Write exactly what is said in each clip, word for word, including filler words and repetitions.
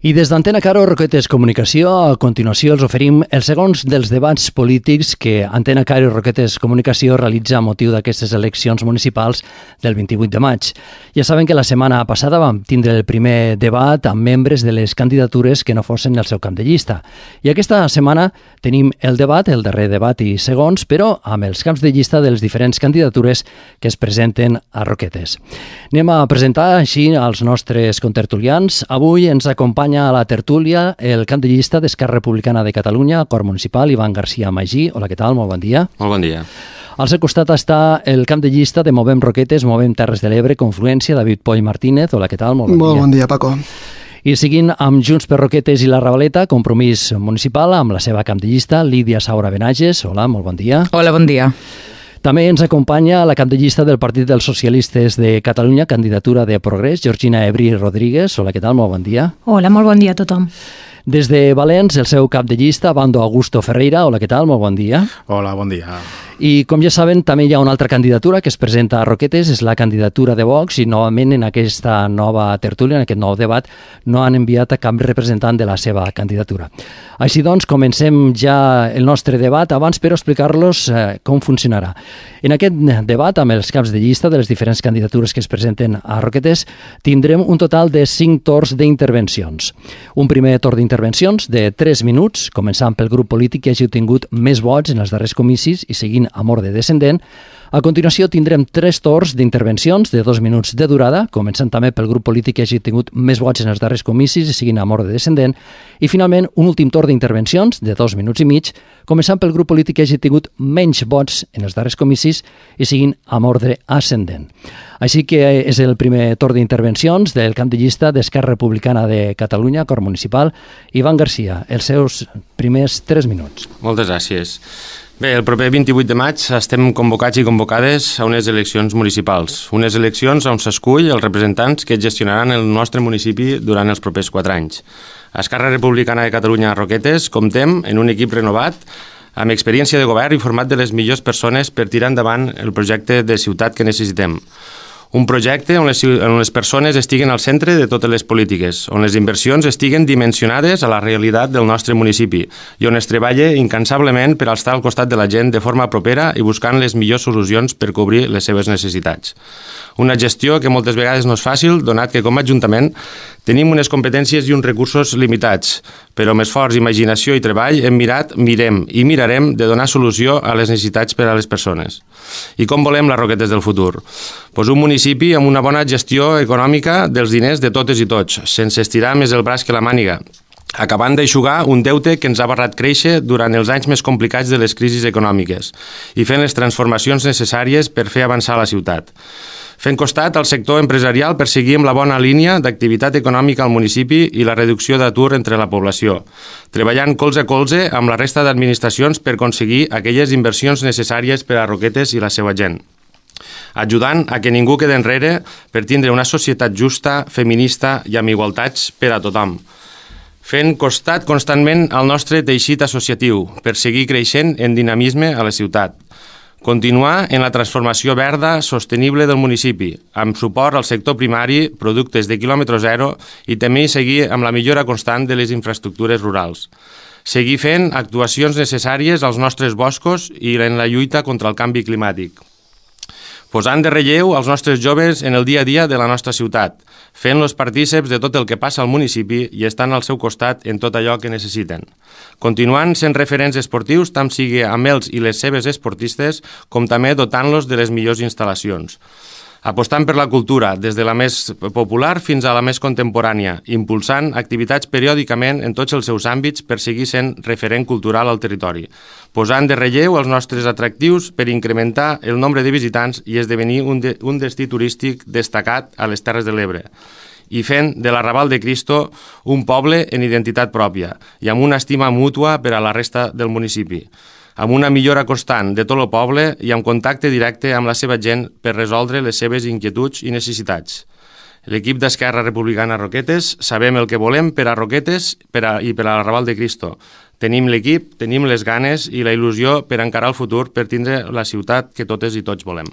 I des d'Antena Caro Roquetes Comunicació, a continuació els oferim els segons dels debats polítics que Antena Caro Roquetes Comunicació realitza a motiu d'aquestes eleccions municipals del vint-i-vuit de maig. Ja saben que la setmana passada vam tindre el primer debat amb membres de les candidatures que no fossin el seu camp de llista. I aquesta setmana tenim el debat, el darrer debat i segons, però amb els camps de llista de les diferents candidatures que es presenten a Roquetes. Anem a presentar així als nostres contertulians. Avui ens acompanya a la tertúlia el cap de llista d'Esquerra Republicana de Catalunya, Cor Municipal, Ivan García Magí. Hola, què tal? Molt bon dia. Molt bon dia. Al seu costat està el cap de llista de Movem Roquetes, Movem Terres de l'Ebre, Confluència, David Poll Martínez. Hola, què tal? Molt bon Molt dia. bon dia, Paco. I seguint amb Junts per Roquetes i la Ravaleta, Compromís Municipal, amb la seva cap de llista, Lídia Saura Benages. Hola, molt bon dia. Hola, bon dia. També ens acompanya la cap de llista del Partit dels Socialistes de Catalunya, candidatura de Progrés, Georgina Ebrí Rodríguez. Hola, què tal? Molt bon dia. Hola, molt bon dia a tothom. Des de Valens, el seu cap de llista, Bando Augusto Ferreira. Hola, què tal? Molt bon dia. Hola, bon dia. I com ja saben, també hi ha una altra candidatura que es presenta a Roquetes, és la candidatura de Vox, i novament en aquesta nova tertúlia, en aquest nou debat, no han enviat a cap representant de la seva candidatura. Així doncs, comencem ja el nostre debat, abans però explicar-los eh, com funcionarà. En aquest debat, amb els caps de llista de les diferents candidatures que es presenten a Roquetes, tindrem un total de cinc torns d'intervencions. Un primer torn d'intervencions de tres minuts, començant pel grup polític que hagi obtingut més vots en els darrers comicis i seguint amb ordre descendent. A continuació tindrem tres torns d'intervencions de dos minuts de durada, començant també pel grup polític que hagi tingut més vots en els darrers comicis i seguint amb ordre descendent. I finalment un últim torn d'intervencions de dos minuts i mig, començant pel grup polític que hagi tingut menys vots en els darrers comicis i seguint amb ordre ascendent. Així que és el primer torn d'intervencions del camp de llista d'Esquerra Republicana de Catalunya, Cor Municipal. Ivan García, els seus primers tres minuts. Moltes gràcies. Bé, el proper vint-i-vuit de maig estem convocats i convocades a unes eleccions municipals, unes eleccions on s'escull els representants que gestionaran el nostre municipi durant els propers quatre anys. A Esquerra Republicana de Catalunya Roquetes comptem en un equip renovat amb experiència de govern i format de les millors persones per tirar endavant el projecte de ciutat que necessitem. Un projecte on les, on les persones estiguen al centre de totes les polítiques, on les inversions estiguen dimensionades a la realitat del nostre municipi i on es treballa incansablement per estar al costat de la gent de forma propera i buscant les millors solucions per cobrir les seves necessitats. Una gestió que moltes vegades no és fàcil, donat que com a Ajuntament tenim unes competències i uns recursos limitats, però amb esforç, imaginació i treball hem mirat, mirem i mirarem de donar solució a les necessitats per a les persones. I com volem les Roquetes del futur? Pues un municipi amb una bona gestió econòmica dels diners de totes i tots, sense estirar més el braç que la màniga, acabant d'aixugar un deute que ens ha barrat créixer durant els anys més complicats de les crisis econòmiques i fent les transformacions necessàries per fer avançar la ciutat. Fent costat al sector empresarial per seguir amb la bona línia d'activitat econòmica al municipi i la reducció d'atur entre la població, treballant colze a colze amb la resta d'administracions per aconseguir aquelles inversions necessàries per a Roquetes i la seva gent, ajudant a que ningú quede enrere per tindre una societat justa, feminista i amb igualtats per a tothom. Fent costat constantment al nostre teixit associatiu per seguir creixent en dinamisme a la ciutat. Continuar en la transformació verda sostenible del municipi, amb suport al sector primari, productes de quilòmetre zero i també seguir amb la millora constant de les infraestructures rurals. Seguir fent actuacions necessàries als nostres boscos i en la lluita contra el canvi climàtic. Posant de relleu els nostres joves en el dia a dia de la nostra ciutat, fent-los partíceps de tot el que passa al municipi i estant al seu costat en tot allò que necessiten. Continuant sent referents esportius, tant sigui amb ells i les seves esportistes, com també dotant-los de les millors instal·lacions. Apostant per la cultura, des de la més popular fins a la més contemporània, impulsant activitats periòdicament en tots els seus àmbits per seguir sent referent cultural al territori, posant de relleu els nostres atractius per incrementar el nombre de visitants i esdevenir un, de, un destí turístic destacat a les Terres de l'Ebre, i fent de l'Arrabal de Cristo un poble en identitat pròpia i amb una estima mútua per a la resta del municipi, amb una millora constant de tot el poble i amb contacte directe amb la seva gent per resoldre les seves inquietuds i necessitats. L'equip d'Esquerra Republicana Roquetes sabem el que volem per a Roquetes per a, i per a l'Arrabal de Cristo. Tenim l'equip, tenim les ganes i la il·lusió per encarar el futur per tindre la ciutat que totes i tots volem.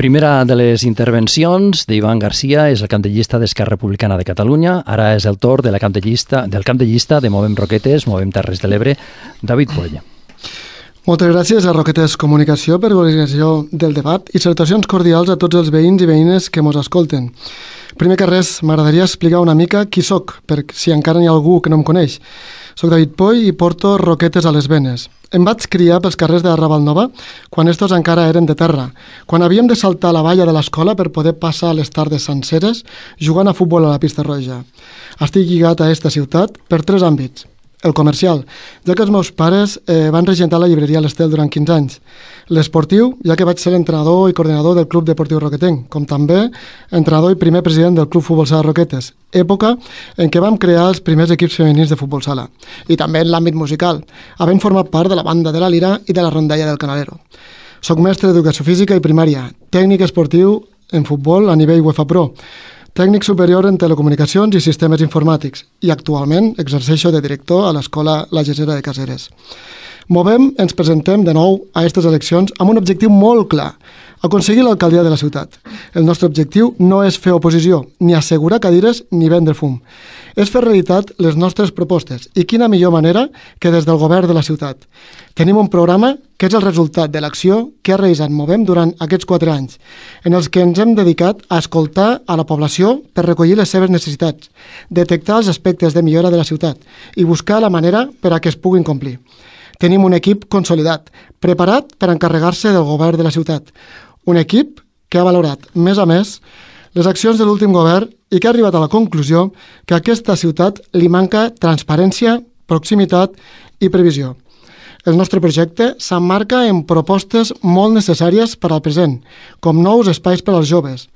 Primera de les intervencions d'Ivan Garcia és el camp de llista d'Esquerra Republicana de Catalunya. Ara és el torn de la camp de llista, del camp de llista de Movem Roquetes, Movem Terres de l'Ebre, David Poll. Moltes gràcies a Roquetes Comunicació per l'organització del debat i salutacions cordials a tots els veïns i veïnes que mos escolten. Primer que res, m'agradaria explicar una mica qui sóc, per si encara n'hi ha algú que no em coneix. Soc David Poll i porto roquetes a les venes. Em vaig criar pels carrers de Ravalnova quan estos encara eren de terra, quan havíem de saltar la valla de l'escola per poder passar les tardes senceres jugant a futbol a la pista roja. Estic lligat a aquesta ciutat per tres àmbits. El comercial, ja que els meus pares eh, van regentar la llibreria L'Estel durant quinze anys. L'esportiu, ja que vaig ser entrenador i coordinador del Club Deportiu Roquetenc, com també entrenador i primer president del Club Futbol Sala Roquetes, època en què vam crear els primers equips femenins de futbol sala. I també en l'àmbit musical, havent format part de la banda de la Lira i de la rondalla del Canalero. Soc mestre d'educació física i primària, tècnic esportiu en futbol a nivell UEFA Pro, tècnic superior en telecomunicacions i sistemes informàtics i actualment exerceixo de director a l'Escola La Gesera de Caseres. Movem, ens presentem de nou a aquestes eleccions amb un objectiu molt clar, aconseguir l'alcaldia de la ciutat. El nostre objectiu no és fer oposició, ni assegurar cadires ni vendre fum. És fer realitat les nostres propostes i quina millor manera que des del govern de la ciutat. Tenim un programa que és el resultat de l'acció que ha realitzat Movem durant aquests quatre anys, en els que ens hem dedicat a escoltar a la població per recollir les seves necessitats, detectar els aspectes de millora de la ciutat i buscar la manera per a que es puguin complir. Tenim un equip consolidat, preparat per encarregar-se del govern de la ciutat. Un equip que ha valorat, més a més, les accions de l'últim govern i que ha arribat a la conclusió que a aquesta ciutat li manca transparència, proximitat i previsió. El nostre projecte s'emmarca en propostes molt necessàries per al present, com nous espais per als joves,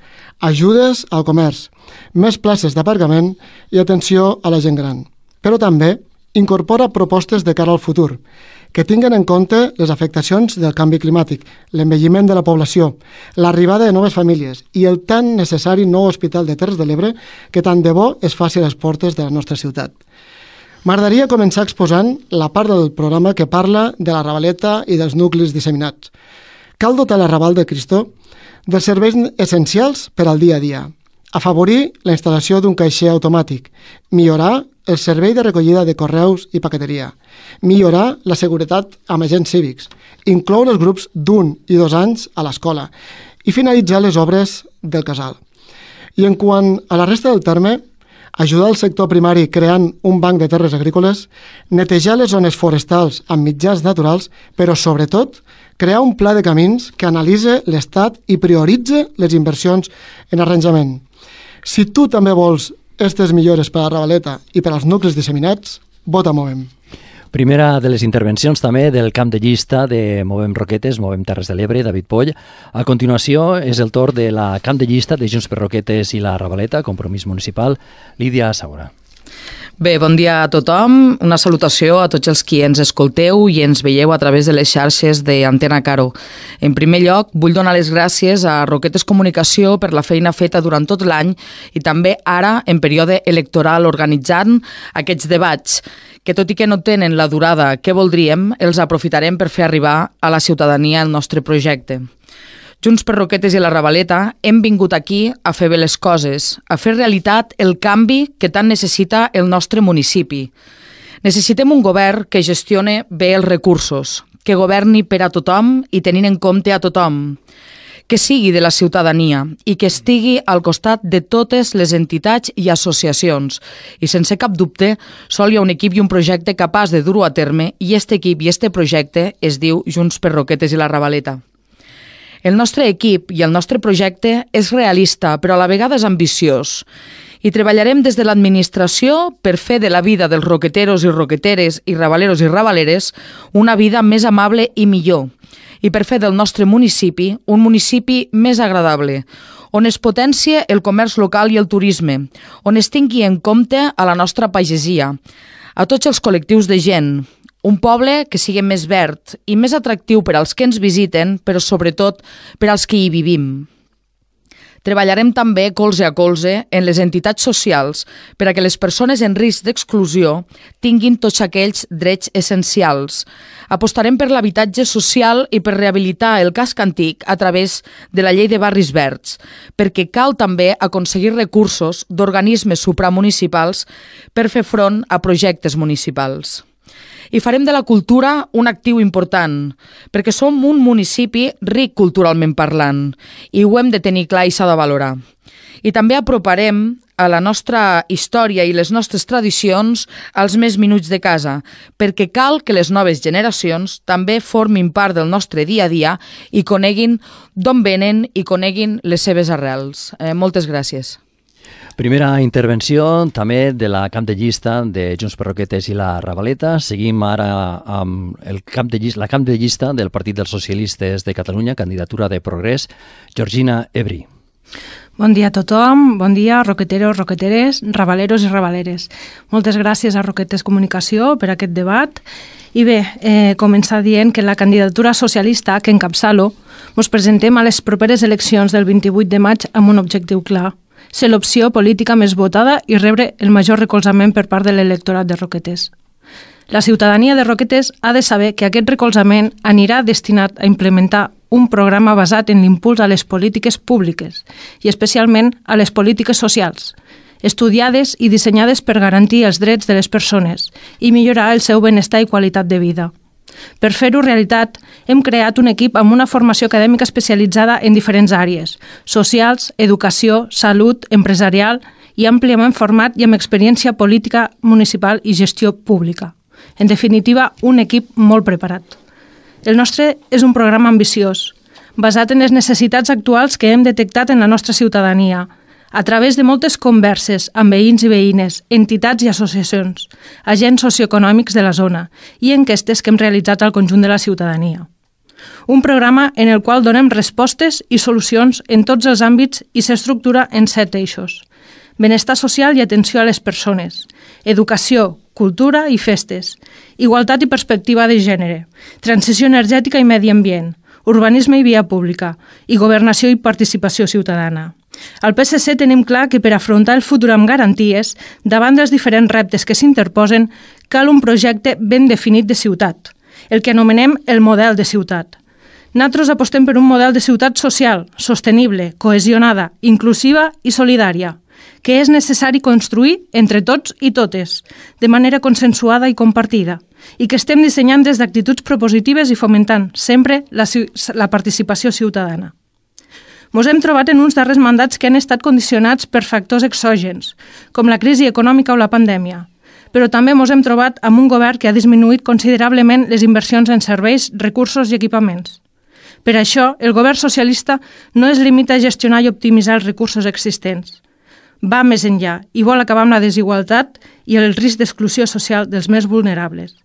ajudes al comerç, més places d'aparcament i atenció a la gent gran. Però també incorpora propostes de cara al futur, que tinguen en compte les afectacions del canvi climàtic, l'envelliment de la població, l'arribada de noves famílies i el tan necessari nou hospital de Terres de l'Ebre que tant de bo es faci a les portes de la nostra ciutat. M'agradaria començar exposant la part del programa que parla de la Ravaleta i dels nuclis disseminats. Cal dotar la Raval de Cristó dels serveis essencials per al dia a dia, afavorir la instal·lació d'un caixer automàtic, millorar el servei de recollida de correus i paqueteria, millorar la seguretat amb agents cívics, incloure els grups d'un i dos anys a l'escola i finalitzar les obres del casal. I en quant a la resta del terme, ajudar el sector primari creant un banc de terres agrícoles, netejar les zones forestals amb mitjans naturals, però sobretot crear un pla de camins que analitzi l'estat i prioritzi les inversions en arranjament. Si tu també vols aquestes millores per a la Ravaleta i per als nuclis disseminats, vota Movem. Primera de les intervencions també del camp de llista de Movem Roquetes, Movem Terres de l'Ebre, David Poll. A continuació és el torn de la camp de llista de Junts per Roquetes i la Ravaleta, Compromís Municipal, Lídia Saura. Bé, bon dia a tothom. Una salutació a tots els qui ens escolteu i ens veieu a través de les xarxes d'Antena Caro. En primer lloc, vull donar les gràcies a Roquetes Comunicació per la feina feta durant tot l'any i també ara, en període electoral, organitzant aquests debats, que tot i que no tenen la durada que voldríem, els aprofitarem per fer arribar a la ciutadania el nostre projecte. Junts per Roquetes i la Ravaleta hem vingut aquí a fer bé les coses, a fer realitat el canvi que tant necessita el nostre municipi. Necessitem un govern que gestione bé els recursos, que governi per a tothom i tenint en compte a tothom, que sigui de la ciutadania i que estigui al costat de totes les entitats i associacions. I sense cap dubte, sol hi ha un equip i un projecte capaç de dur-ho a terme i aquest equip i aquest projecte es diu Junts per Roquetes i la Ravaleta. El nostre equip i el nostre projecte és realista, però a la vegada és ambiciós. I treballarem des de l'administració per fer de la vida dels roqueteros i roqueteres i ravaleros i ravaleres una vida més amable i millor. I per fer del nostre municipi un municipi més agradable, on es potencie el comerç local i el turisme, on es tingui en compte a la nostra pagesia, a tots els col·lectius de gent, un poble que sigui més verd i més atractiu per als que ens visiten, però sobretot per als que hi vivim. Treballarem també colze a colze en les entitats socials per a que les persones en risc d'exclusió tinguin tots aquells drets essencials. Apostarem per l'habitatge social i per rehabilitar el casc antic a través de la llei de barris verds, perquè cal també aconseguir recursos d'organismes supramunicipals per fer front a projectes municipals. I farem de la cultura un actiu important, perquè som un municipi ric culturalment parlant i ho hem de tenir clar i s'ha de valorar. I també aproparem a la nostra història i les nostres tradicions als més minuts de casa, perquè cal que les noves generacions també formin part del nostre dia a dia i coneguin d'on venen i coneguin les seves arrels. Eh, moltes gràcies. Primera intervenció també de la cap de llista de Junts per Roquetes i la Ravaleta. Seguim ara amb el cap de llista, la cap de llista del Partit dels Socialistes de Catalunya, candidatura de Progrés, Georgina Ebri. Bon dia a tothom, bon dia roqueteros, roqueteres, ravaleros i ravaleres. Moltes gràcies a Roquetes Comunicació per aquest debat. I bé, eh, començar dient que la candidatura socialista que encapçalo ens presentem a les properes eleccions del vint-i-vuit de maig amb un objectiu clar: ser l'opció política més votada i rebre el major recolzament per part de l'electorat de Roquetes. La ciutadania de Roquetes ha de saber que aquest recolzament anirà destinat a implementar un programa basat en l'impuls a les polítiques públiques i especialment a les polítiques socials, estudiades i dissenyades per garantir els drets de les persones i millorar el seu benestar i qualitat de vida. Per fer-ho realitat, hem creat un equip amb una formació acadèmica especialitzada en diferents àrees: socials, educació, salut, empresarial i àmpliament format i amb experiència política municipal i gestió pública. En definitiva, un equip molt preparat. El nostre és un programa ambiciós, basat en les necessitats actuals que hem detectat en la nostra ciutadania, a través de moltes converses amb veïns i veïnes, entitats i associacions, agents socioeconòmics de la zona i enquestes que hem realitzat al conjunt de la ciutadania. Un programa en el qual donem respostes i solucions en tots els àmbits i s'estructura en set eixos: benestar social i atenció a les persones, educació, cultura i festes, igualtat i perspectiva de gènere, transició energètica i medi ambient, urbanisme i via pública, i governació i participació ciutadana. Al P S C tenim clar que per afrontar el futur amb garanties, davant dels diferents reptes que s'interposen, cal un projecte ben definit de ciutat, el que anomenem el model de ciutat. Nosaltres apostem per un model de ciutat social, sostenible, cohesionada, inclusiva i solidària, que és necessari construir entre tots i totes, de manera consensuada i compartida, i que estem dissenyant des d'actituds propositives i fomentant sempre la, la participació ciutadana. Ens hem trobat en uns darrers mandats que han estat condicionats per factors exògens, com la crisi econòmica o la pandèmia, però també ens hem trobat amb un govern que ha disminuït considerablement les inversions en serveis, recursos i equipaments. Per això, el govern socialista no es limita a gestionar i optimitzar els recursos existents. Va més enllà i vol acabar amb la desigualtat i el risc d'exclusió social dels més vulnerables.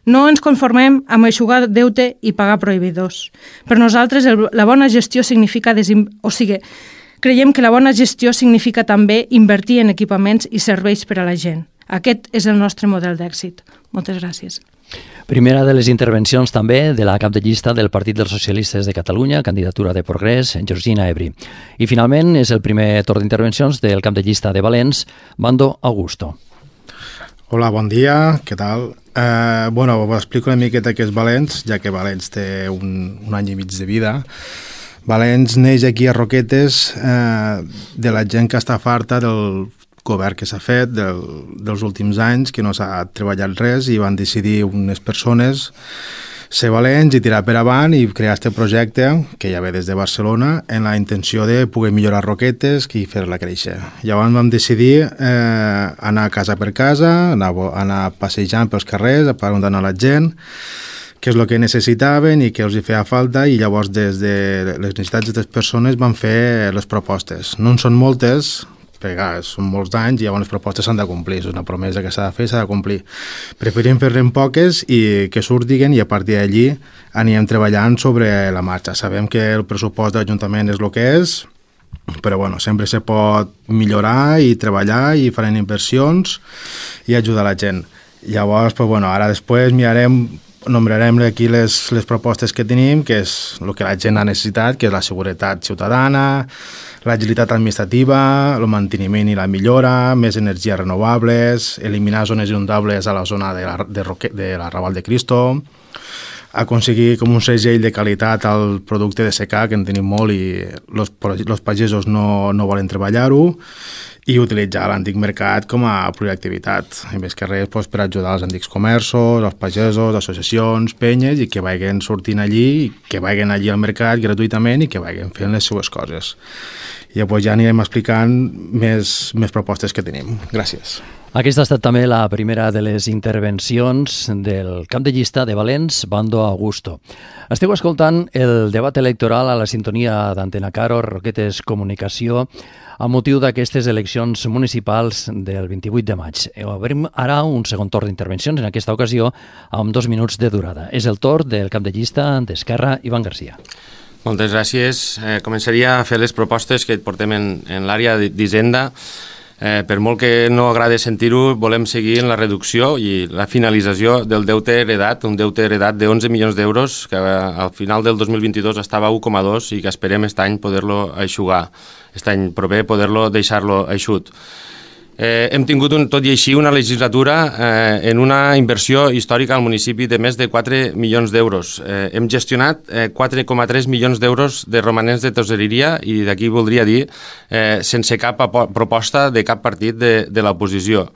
No ens conformem amb eixugar deute i pagar prohibidors. Per nosaltres, el, la bona gestió significa... Desim... O sigui, creiem que la bona gestió significa també invertir en equipaments i serveis per a la gent. Aquest és el nostre model d'èxit. Moltes gràcies. Primera de les intervencions també de la cap de llista del Partit dels Socialistes de Catalunya, candidatura de Progrés, Georgina Ebri. I finalment és el primer torn d'intervencions del cap de llista de Valens, Bando Augusto. Hola, bon dia, què tal? Eh, bueno, us explico una miqueta què és Valens, ja que Valens té un, un any i mig de vida. Valens neix aquí a Roquetes eh, de la gent que està farta del govern que s'ha fet del, dels últims anys, que no s'ha treballat res i van decidir unes persones ser valents i tirar per avant i crear aquest projecte, que ja ve des de Barcelona, en la intenció de poder millorar Roquetes i fer-la créixer. Llavors vam decidir eh, anar casa per casa, anar, anar passejant pels carrers, preguntant a la gent què és el que necessitaven i què els hi feia falta, i llavors des de les necessitats d'aquestes persones van fer les propostes. No en són moltes, perquè són molts anys i llavors les propostes s'han de complir, és una promesa que s'ha de fer i s'ha de complir. Preferim fer-ne poques i que surtin i a partir d'allí anirem treballant sobre la marxa. Sabem que el pressupost de l'Ajuntament és el que és, però bueno, sempre se pot millorar i treballar i farem inversions i ajudar la gent. Llavors, pues, bueno, ara després mirarem nombrarem aquí les, les propostes que tenim, que és el que la gent ha necessitat, que és la seguretat ciutadana, l'agilitat administrativa, el manteniment i la millora, més energies renovables, eliminar zones inundables a la zona de la, de, Roque, de la Raval de Cristo, aconseguir com un segell de qualitat al producte de secà, que en tenim molt i els pagesos no, no volen treballar-ho, i utilitzar l'antic mercat com a proactivitat, i més que res doncs, per ajudar els antics comerços, els pagesos, associacions, penyes, i que vagin sortint allí, i que vagin allí al mercat gratuïtament i que vagin fent les seues coses. I llavors ja anirem explicant més, més propostes que tenim. Gràcies. Aquesta ha estat també la primera de les intervencions del cap de llista de Valens, Bando Augusto. Esteu escoltant el debat electoral a la sintonia d'Antena Caro, Roquetes Comunicació, a motiu d'aquestes eleccions municipals del vint-i-vuit de maig. Obrim ara un segon torn d'intervencions, en aquesta ocasió amb dos minuts de durada. És el torn del cap de llista d'Esquerra, Ivan Garcia. Moltes gràcies. Eh, començaria a fer les propostes que portem en, en l'àrea d'Hisenda. Eh, per molt que no agrada sentir-ho, volem seguir en la reducció i la finalització del deute heredat, un deute heredat de onze milions d'euros, que al final del dos mil vint-i-dos estava a u coma dos i que esperem aquest any poder-lo eixugar, aquest any proper poder-lo deixar-lo eixut. Eh, hem tingut, un, tot i així, una legislatura eh, en una inversió històrica al municipi de més de quatre milions d'euros. Eh, hem gestionat eh, quatre coma tres milions d'euros de romanents de tesoreria i d'aquí voldria dir eh, sense cap proposta de cap partit de, de l'oposició.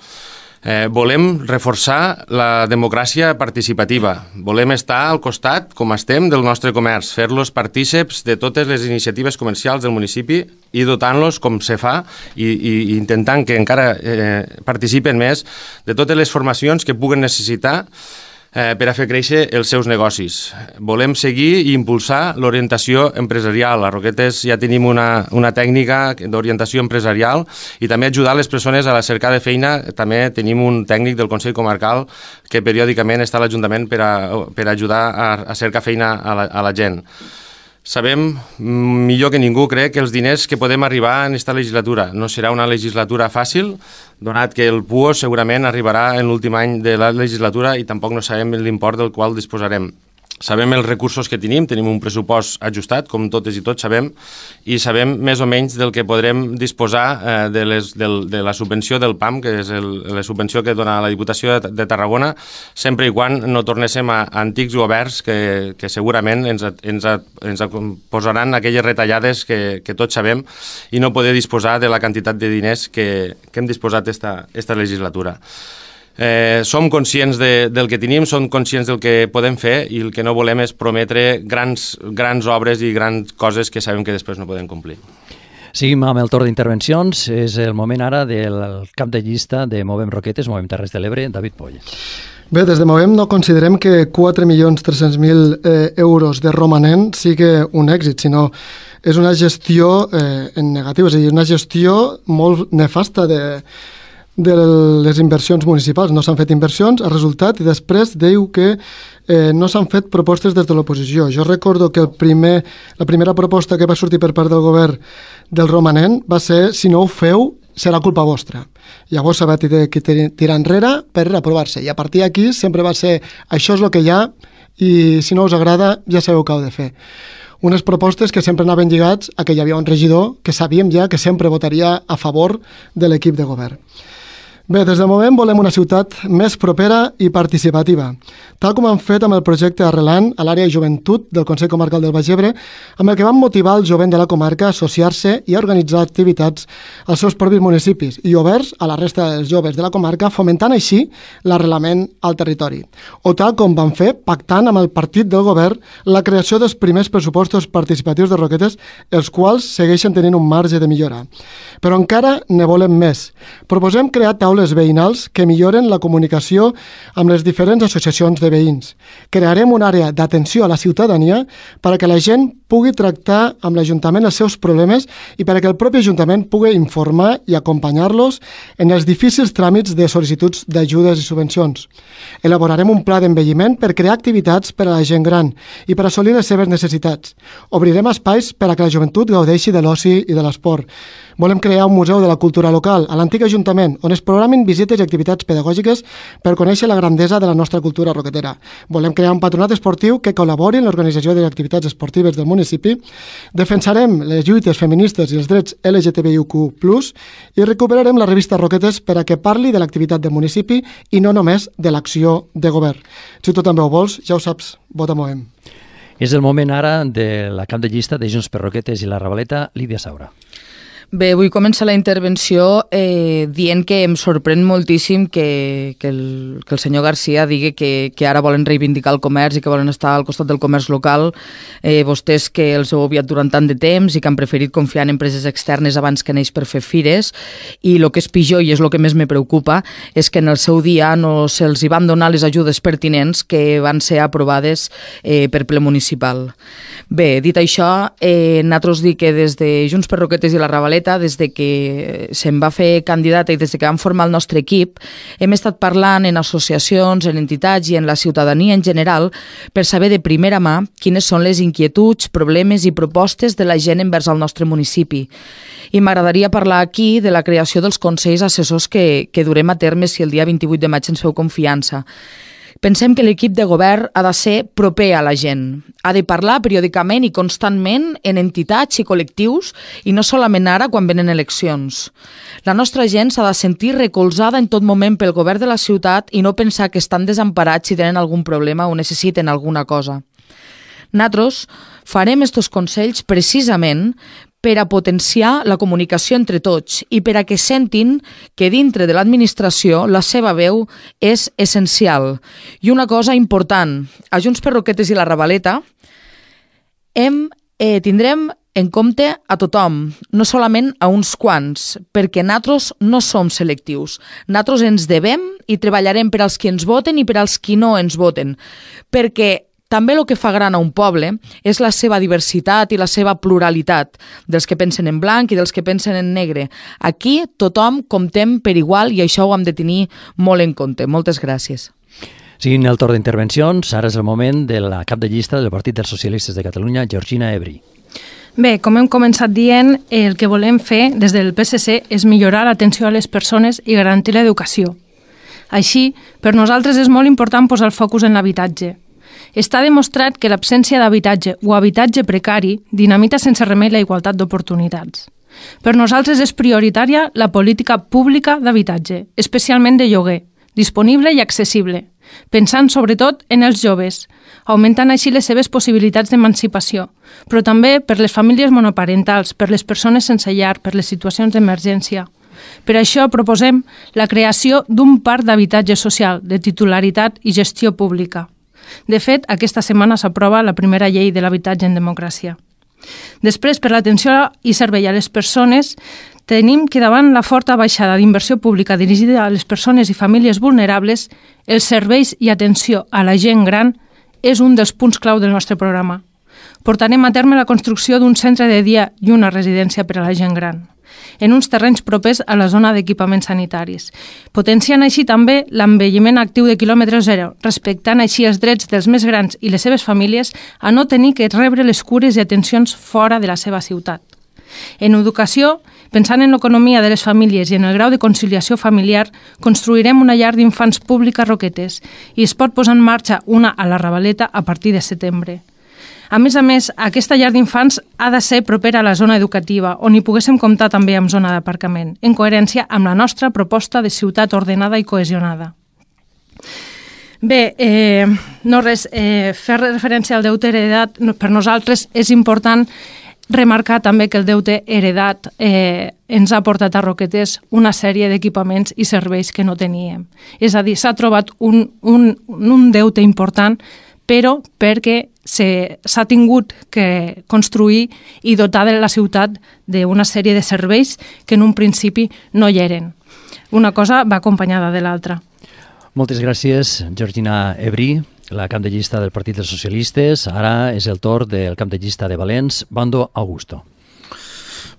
Eh, volem reforçar la democràcia participativa. Volem estar al costat, com estem, del nostre comerç, fer-los partíceps de totes les iniciatives comercials del municipi i dotant-los, com se fa, i, i intentant que encara eh, participen més de totes les formacions que puguen necessitar eh, per a fer créixer els seus negocis. Volem seguir i impulsar l'orientació empresarial. A Roquetes ja tenim una, una tècnica d'orientació empresarial i també ajudar les persones a la cerca de feina. També tenim un tècnic del Consell Comarcal que periòdicament està a l'Ajuntament per a, per a ajudar a, a cercar feina a la, a la gent. Sabem, millor que ningú, crec, que els diners que podem arribar en aquesta legislatura no serà una legislatura fàcil, donat que el P U O segurament arribarà en l'últim any de la legislatura i tampoc no sabem l'import del qual disposarem. Sabem els recursos que tenim, tenim un pressupost ajustat, com totes i tots sabem, i sabem més o menys del que podrem disposar eh, de, les, del, de la subvenció del P A M, que és el, la subvenció que dona la Diputació de, de Tarragona, sempre i quan no tornéssim a, a antics governs que, que segurament ens, ens, ens posaran aquelles retallades que, que tots sabem i no poder disposar de la quantitat de diners que, que hem disposat esta, esta legislatura. Eh, som conscients de, del que tenim, som conscients del que podem fer i el que no volem és prometre grans, grans obres i grans coses que sabem que després no podem complir. Seguim amb el torn d'intervencions. És el moment ara del cap de llista de Movem Roquetes, Movem Terres de l'Ebre, David Poll. Bé, des de Movem no considerem que quatre milions tres-cents mil eh, euros de romanent sigui un èxit, sinó és una gestió eh, en negatiu, és a dir, una gestió molt nefasta de de les inversions municipals. No s'han fet inversions, ha resultat, i després diu que eh, no s'han fet propostes des de l'oposició. Jo recordo que el primer, la primera proposta que va sortir per part del govern del romanent va ser, si no ho feu, serà culpa vostra. Llavors s'ha de tirar enrere per aprovar-se. I a partir d'aquí sempre va ser, això és el que hi ha, i si no us agrada ja sabeu què heu de fer. Unes propostes que sempre anaven lligats a que hi havia un regidor que sabíem ja que sempre votaria a favor de l'equip de govern. Bé, des de Movem volem una ciutat més propera i participativa, tal com han fet amb el projecte Arrelant a l'àrea de joventut del Consell Comarcal del Baix Ebre, amb el que van motivar el jovent de la comarca a associar-se i a organitzar activitats als seus propis municipis i oberts a la resta dels joves de la comarca, fomentant així l'arrelament al territori. O tal com van fer pactant amb el partit del govern la creació dels primers pressupostos participatius de Roquetes, els quals segueixen tenint un marge de millora. Però encara ne volem més. Proposem crear taules veïnals que milloren la comunicació amb les diferents associacions de veïns. Crearem una àrea d'atenció a la ciutadania perquè la gent pugui tractar amb l'Ajuntament els seus problemes i perquè el propi Ajuntament pugui informar i acompanyar-los en els difícils tràmits de sol·licituds d'ajudes i subvencions. Elaborarem un pla d'envelliment per crear activitats per a la gent gran i per assolir les seves necessitats. Obrirem espais per a que la joventut gaudeixi de l'oci i de l'esport. Volem crear un museu de la cultura local a l'antic Ajuntament, on es programin visites i activitats pedagògiques per conèixer la grandesa de la nostra cultura roquetera. Volem crear un patronat esportiu que col·labori en l'organització de les activitats esportives del municipi. Defensarem les lluites feministes i els drets L G T B I Q plus, i recuperarem la revista Roquetes per a que parli de l'activitat del municipi i no només de l'acció de govern. Si tu també ho vols, ja ho saps, vota Moem. És el moment ara de la cap de llista de Junts per Roquetes i la Ravaleta, Lídia Saura. Bé, vull començar la intervenció eh, dient que em sorprèn moltíssim que, que, el, que el senyor Garcia digui que, que ara volen reivindicar el comerç i que volen estar al costat del comerç local, eh, vostès que els heu obviat durant tant de temps i que han preferit confiar en empreses externes abans que en ells per fer fires, i el que és pitjor, i és el que més me preocupa, és que en el seu dia no se'ls hi van donar les ajudes pertinents que van ser aprovades eh, per ple municipal. Bé, dit això, eh, nosaltres dic que des de Junts per Roquetes i la Ravaleta, des de que se'm va fer candidata i des de que vam formar el nostre equip, hem estat parlant en associacions, en entitats i en la ciutadania en general per saber de primera mà quines són les inquietuds, problemes i propostes de la gent envers el nostre municipi. I m'agradaria parlar aquí de la creació dels consells assessors que, que durem a terme si el dia vint-i-vuit de maig ens feu confiança. Pensem que l'equip de govern ha de ser proper a la gent. Ha de parlar periòdicament i constantment en entitats i col·lectius i no solament ara quan venen eleccions. La nostra gent s'ha de sentir recolzada en tot moment pel govern de la ciutat i no pensar que estan desemparats si tenen algun problema o necessiten alguna cosa. Nosaltres farem estos consells precisament per a potenciar la comunicació entre tots i per a que sentin que dintre de l'administració la seva veu és essencial. I una cosa important, a Junts per Roquetes i la Ravaleta hem, eh, tindrem en compte a tothom, no solament a uns quants, perquè nosaltres no som selectius. Nosaltres ens devem i treballarem per als qui ens voten i per als qui no ens voten, perquè també el que fa gran a un poble és la seva diversitat i la seva pluralitat, dels que pensen en blanc i dels que pensen en negre. Aquí tothom comptem per igual i això ho hem de tenir molt en compte. Moltes gràcies. Seguint el torn d'intervencions, ara és el moment de la cap de llista del Partit dels Socialistes de Catalunya, Georgina Ebri. Bé, com hem començat dient, el que volem fer des del P S C és millorar l'atenció a les persones i garantir l'educació. Així, per nosaltres és molt important posar el focus en l'habitatge. Està demostrat que l'absència d'habitatge o habitatge precari dinamita sense remei la igualtat d'oportunitats. Per nosaltres és prioritària la política pública d'habitatge, especialment de lloguer, disponible i accessible, pensant sobretot en els joves, augmentant així les seves possibilitats d'emancipació, però també per les famílies monoparentals, per les persones sense llar, per les situacions d'emergència. Per això proposem la creació d'un parc d'habitatge social de titularitat i gestió pública. De fet, aquesta setmana s'aprova la primera llei de l'habitatge en democràcia. Després, per l'atenció i servei a les persones, tenim que davant la forta baixada d'inversió pública dirigida a les persones i famílies vulnerables, els serveis i atenció a la gent gran és un dels punts clau del nostre programa. Portarem a terme la construcció d'un centre de dia i una residència per a la gent gran, en uns terrenys propers a la zona d'equipaments sanitaris, potenciant així també l'envelliment actiu de quilòmetre zero, respectant així els drets dels més grans i les seves famílies a no tenir que rebre les cures i atencions fora de la seva ciutat. En educació, pensant en l'economia de les famílies i en el grau de conciliació familiar, construirem una llar d'infants pública a Roquetes i es pot posar en marxa una a la Ravaleta a partir de setembre. A més a més, aquesta llar d'infants ha de ser propera a la zona educativa, on hi poguéssim comptar també amb zona d'aparcament, en coherència amb la nostra proposta de ciutat ordenada i cohesionada. Bé, eh, no res, eh, fer referència al deute heredat per nosaltres és important remarcar també que el deute heredat eh, ens ha portat a Roquetes una sèrie d'equipaments i serveis que no teníem. És a dir, s'ha trobat un, un, un deute important, però perquè s'ha tingut que construir i dotar de la ciutat d'una sèrie de serveis que en un principi no hi eren. Una cosa va acompanyada de l'altra. Moltes gràcies, Georgina Ebri. la cap de llista del Partit dels Socialistes. Ara és el torn del cap de llista de Valens, Bando Augusto.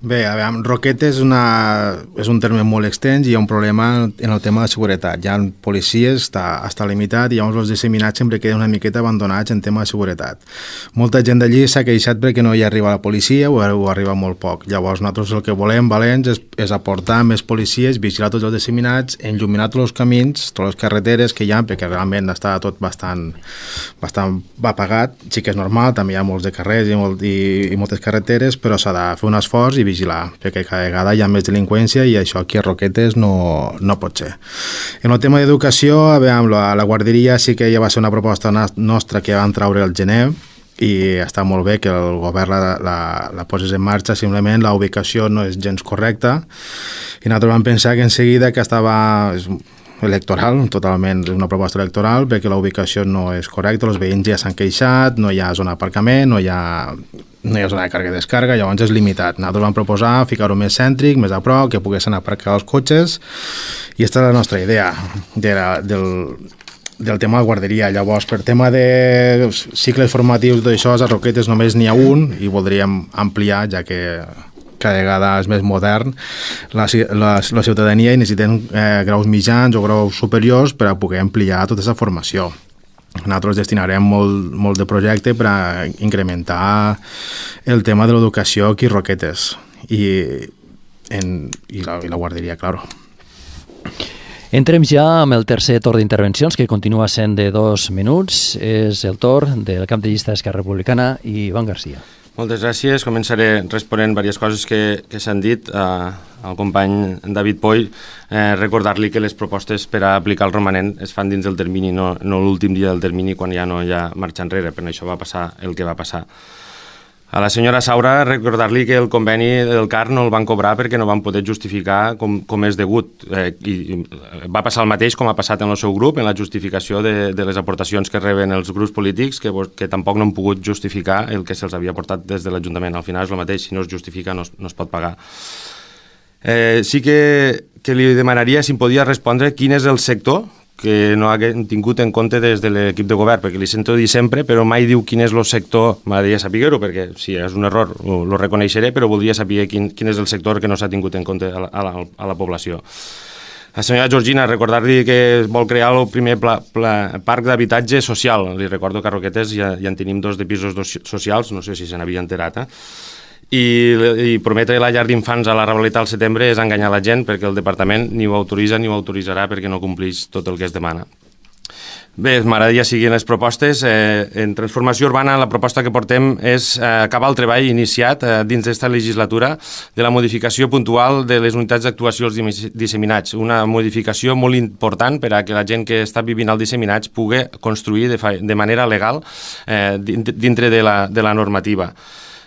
Bé, a veure, Roquetes és, una, és un terme molt extens i hi ha un problema en el tema de seguretat. Hi ha policies, està, està limitat, i llavors els disseminats sempre queden una miqueta abandonats en tema de seguretat. Molta gent d'allí s'ha queixat perquè no hi arriba la policia o, o arriba molt poc. Llavors nosaltres el que volem, Valens, és, és aportar més policies, vigilar tots els disseminats, enlluminar tots els camins, totes les carreteres que hi ha, perquè realment està tot bastant, bastant apagat. Sí que és normal, també hi ha molts de carrers i, molt, i, i moltes carreteres, però s'ha de fer un esforç i vigilar, perquè cada vegada hi ha més delinqüència i això aquí a Roquetes no, no pot ser. En el tema d'educació, a veure, la, la guarderia sí que ja va ser una proposta nostra que van traure al gener i està molt bé que el govern la, la, la posés en marxa, simplement la ubicació no és gens correcta i nosaltres vam pensar que en seguida que estava electoral, totalment una proposta electoral, perquè la ubicació no és correcta, els veïns ja s'han queixat, no hi ha zona d'aparcament, no hi ha no hi ha zona de càrrega i descarga, llavors és limitat. Nosaltres vam proposar ficar-ho més cèntric, més a prop, que poguessin aparcar els cotxes, i aquesta és la nostra idea de la, del, del tema de guarderia. Llavors, per tema de cicles formatius d'això, a Roquetes només n'hi ha un, i voldríem ampliar, ja que cada vegada és més modern la, la, la ciutadania i necessitem eh, graus mitjans o graus superiors per a poder ampliar tota aquesta formació. Nosaltres destinarem molt, molt de projecte per a incrementar el tema de l'educació aquí a Roquetes i, en, i, la, i la guarderia, claro. Entrem ja amb el tercer torn d'intervencions, que continua sent de dos minuts. És el torn del cap de llista d'Esquerra Republicana, Ivan Garcia. Moltes gràcies. Començaré responent diverses coses que, que s'han dit eh, al company David Poll. Eh, recordar-li que les propostes per a aplicar el romanent es fan dins del termini, no, no l'últim dia del termini quan ja no hi ha marxa enrere, però això va passar el que va passar. A la senyora Saura, recordar-li que el conveni del C A R no el van cobrar perquè no van poder justificar com, com és degut. Eh, i, i va passar el mateix com ha passat en el seu grup, en la justificació de, de les aportacions que reben els grups polítics, que, que tampoc no han pogut justificar el que se'ls havia aportat des de l'Ajuntament. Al final és el mateix, si no es justifica no es, no es pot pagar. Eh, sí que, que li demanaria si em podia respondre quin és el sector que no haguem tingut en compte des de l'equip de govern, perquè li sento dir sempre, però mai diu quin és el sector. M'agradaria saber-ho, perquè si és un error ho, ho reconeixeré, però voldria saber quin, quin és el sector que no s'ha tingut en compte a la, a la, a la població. La senyora Georgina, recordar-li que vol crear el primer pla, pla, parc d'habitatge social. Li recordo que a Roquetes ja, ja en tenim dos de pisos dos socials, no sé si se n'havia enterat, eh? I, i prometre la llar d'infants a la Ravaleta al setembre és enganyar la gent, perquè el departament ni ho autoritza ni ho autoritzarà perquè no compleix tot el que es demana. Bé, m'agradaria seguir les propostes. Eh, en transformació urbana la proposta que portem és eh, acabar el treball iniciat eh, dins d'esta legislatura de la modificació puntual de les unitats d'actuació als disseminats. Una modificació molt important per a que la gent que està vivint als disseminats pugui construir de, de manera legal eh, dintre de la, de la normativa.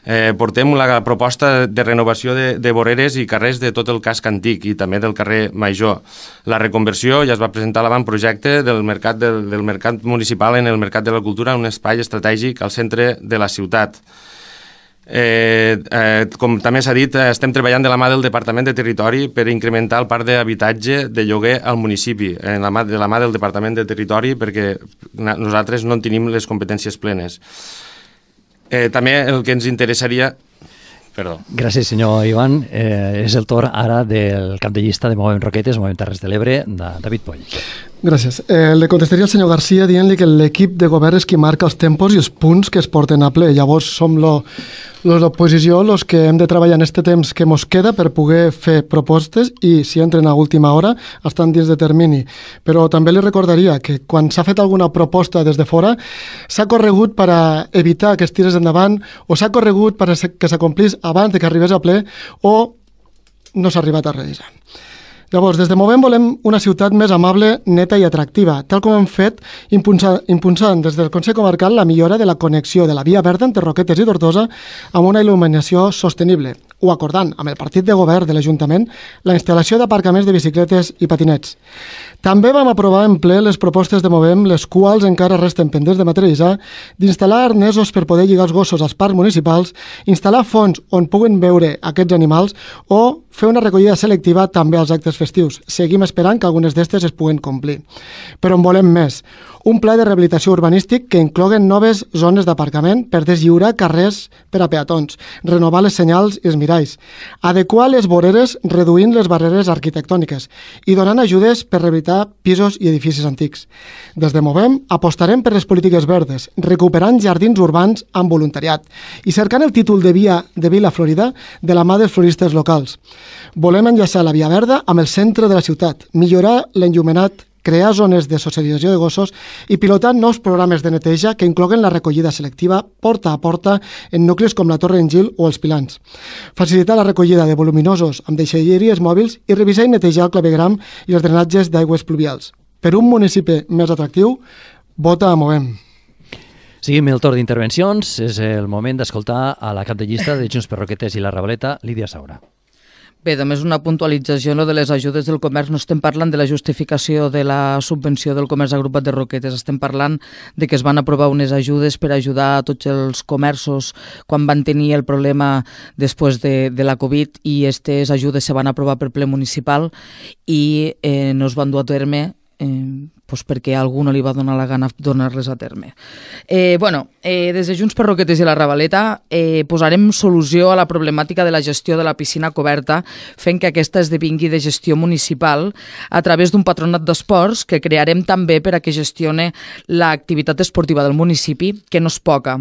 Eh, portem la proposta de renovació de, de voreres i carrers de tot el casc antic i també del carrer Major. La reconversió ja es va presentar l'avantprojecte del mercat, del, del mercat municipal en el Mercat de la Cultura, un espai estratègic al centre de la ciutat. Eh, eh, com també s'ha dit, estem treballant de la mà del Departament de Territori per incrementar el parc d'habitatge de lloguer al municipi, en la mà, de la mà del Departament de Territori, perquè nosaltres no en tenim les competències plenes. Eh, també el que ens interessaria... Perdó. Gràcies, senyor Ivan. Eh, és el torn ara del cap de llista de Movem Roquetes, Movem Terres de l'Ebre, de David Poll. Gràcies. Eh, le contestaria al senyor Garcia dient-li que l'equip de govern és qui marca els tempos i els punts que es porten a ple. Llavors som l'oposició els que hem de treballar en aquest temps que ens queda per poder fer propostes i si entren a última hora estan dins de termini. Però també li recordaria que quan s'ha fet alguna proposta des de fora s'ha corregut per a evitar que es tirés endavant o s'ha corregut per a que s'acomplís abans de que arribés a ple o no s'ha arribat a realitzar. Llavors, des de Movem volem una ciutat més amable, neta i atractiva, tal com hem fet impulsant, impulsant des del Consell Comarcal la millora de la connexió de la via verda entre Roquetes i Tortosa amb una il·luminació sostenible, o acordant amb el partit de govern de l'Ajuntament la instal·lació d'aparcaments de bicicletes i patinets. També vam aprovar en ple les propostes de Movem, les quals encara resten pendents de materialitzar, d'instal·lar arnesos per poder lligar els gossos als parcs municipals, instal·lar fons on puguen veure aquests animals o fer una recollida selectiva també als actes festius. Seguim esperant que algunes d'estes es puguen complir. Però en volem més. un pla de rehabilitació urbanístic que incloguen noves zones d'aparcament per deslliurar carrers per a peatons, renovar les senyals i els miralls, adequar les voreres reduint les barreres arquitectòniques i donant ajudes per rehabilitar pisos i edificis antics. Des de Movem apostarem per les polítiques verdes, recuperant jardins urbans amb voluntariat i cercant el títol de via de Vila Florida de la mà dels floristes locals. Volem enllaçar la Via Verda amb el centre de la ciutat, millorar l'enllumenat, crear zones de socialització de gossos i pilotar nous programes de neteja que incloguen la recollida selectiva porta a porta en nuclis com la Torre Engil o els Pilans. Facilitar la recollida de voluminosos amb deixalleries mòbils i revisar i netejar el clavegram i els drenatges d'aigües pluvials. Per un municipi més atractiu, vota a Movem. Seguim el torn d'intervencions. És el moment d'escoltar a la cap de llista de Junts per Roquetes i la Ravaleta, Lídia Saura. Bé, només una puntualització no, de les ajudes del comerç. No estem parlant de la justificació de la subvenció del comerç agrupat de Roquetes. Estem parlant de que es van aprovar unes ajudes per ajudar a tots els comerços quan van tenir el problema després de, de la Covid, i aquestes ajudes se van aprovar per ple municipal i eh, no es van dur a terme eh, pues perquè a algú no li va donar la gana donar-les a terme. Eh, bueno, eh, des de Junts per Roquetes i la Ravaleta eh, posarem solució a la problemàtica de la gestió de la piscina coberta, fent que aquesta esdevingui de gestió municipal a través d'un patronat d'esports que crearem també per a que gestione l'activitat esportiva del municipi, que no és poca.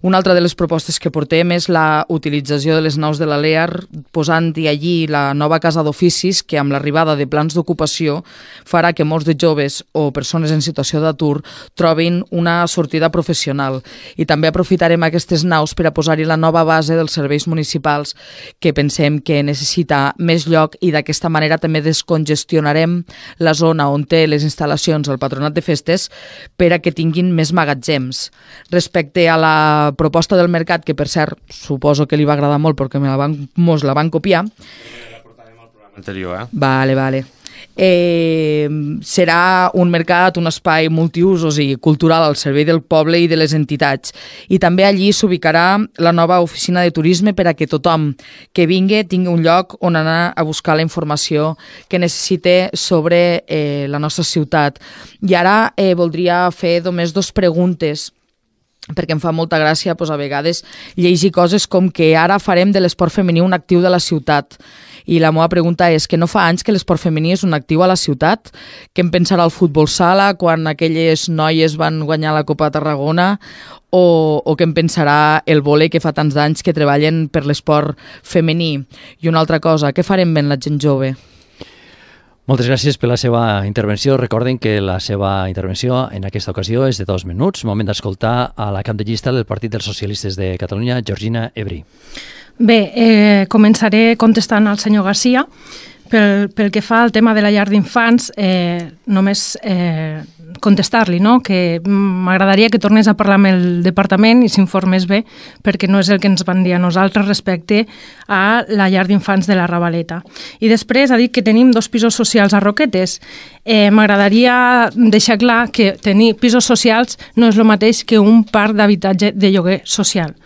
Una altra de les propostes que portem és la utilització de les naus de l'A L E A R, posant-hi allí la nova casa d'oficis que amb l'arribada de plans d'ocupació farà que molts de joves o persones en situació d'atur trobin una sortida professional. I també aprofitarem aquestes naus per a posar-hi la nova base dels serveis municipals que pensem que necessita més lloc, i d'aquesta manera també descongestionarem la zona on té les instal·lacions el patronat de festes per a que tinguin més magatzems. Respecte a la proposta del mercat, que per cert suposo que li va agradar molt perquè me la van, mos la van copiar. La portarem al programa anterior, eh? Vale, vale. Eh, serà un mercat, un espai multiusos i cultural al servei del poble i de les entitats. I també allí s'ubicarà la nova oficina de turisme per a que tothom que vingui tingui un lloc on anar a buscar la informació que necessite sobre eh, la nostra ciutat. I ara eh, voldria fer només dos preguntes, perquè em fa molta gràcia doncs, a vegades llegir coses com que ara farem de l'esport femení un actiu de la ciutat. I la meva pregunta és que no fa anys que l'esport femení és un actiu a la ciutat? Què en pensarà el futbol sala quan aquelles noies van guanyar la Copa de Tarragona? O, o què en pensarà el vòlei, que fa tants anys que treballen per l'esport femení? I una altra cosa, què farem ben la gent jove? Moltes gràcies per la seva intervenció. Recorden que la seva intervenció en aquesta ocasió és de dos minuts. Moment d'escoltar a la cap de llista del Partit dels Socialistes de Catalunya, Georgina Ebri. Bé, eh, començaré contestant al senyor Garcia. Pel, pel que fa al tema de la llar d'infants, eh, només eh, contestar-li, no? Que m'agradaria que tornés a parlar amb el departament i s'informés bé, perquè no és el que ens van dir a nosaltres respecte a la llar d'infants de la Ravaleta. I després ha dit que tenim dos pisos socials a Roquetes. Eh, m'agradaria deixar clar que tenir pisos socials no és el mateix que un parc d'habitatge de lloguer social.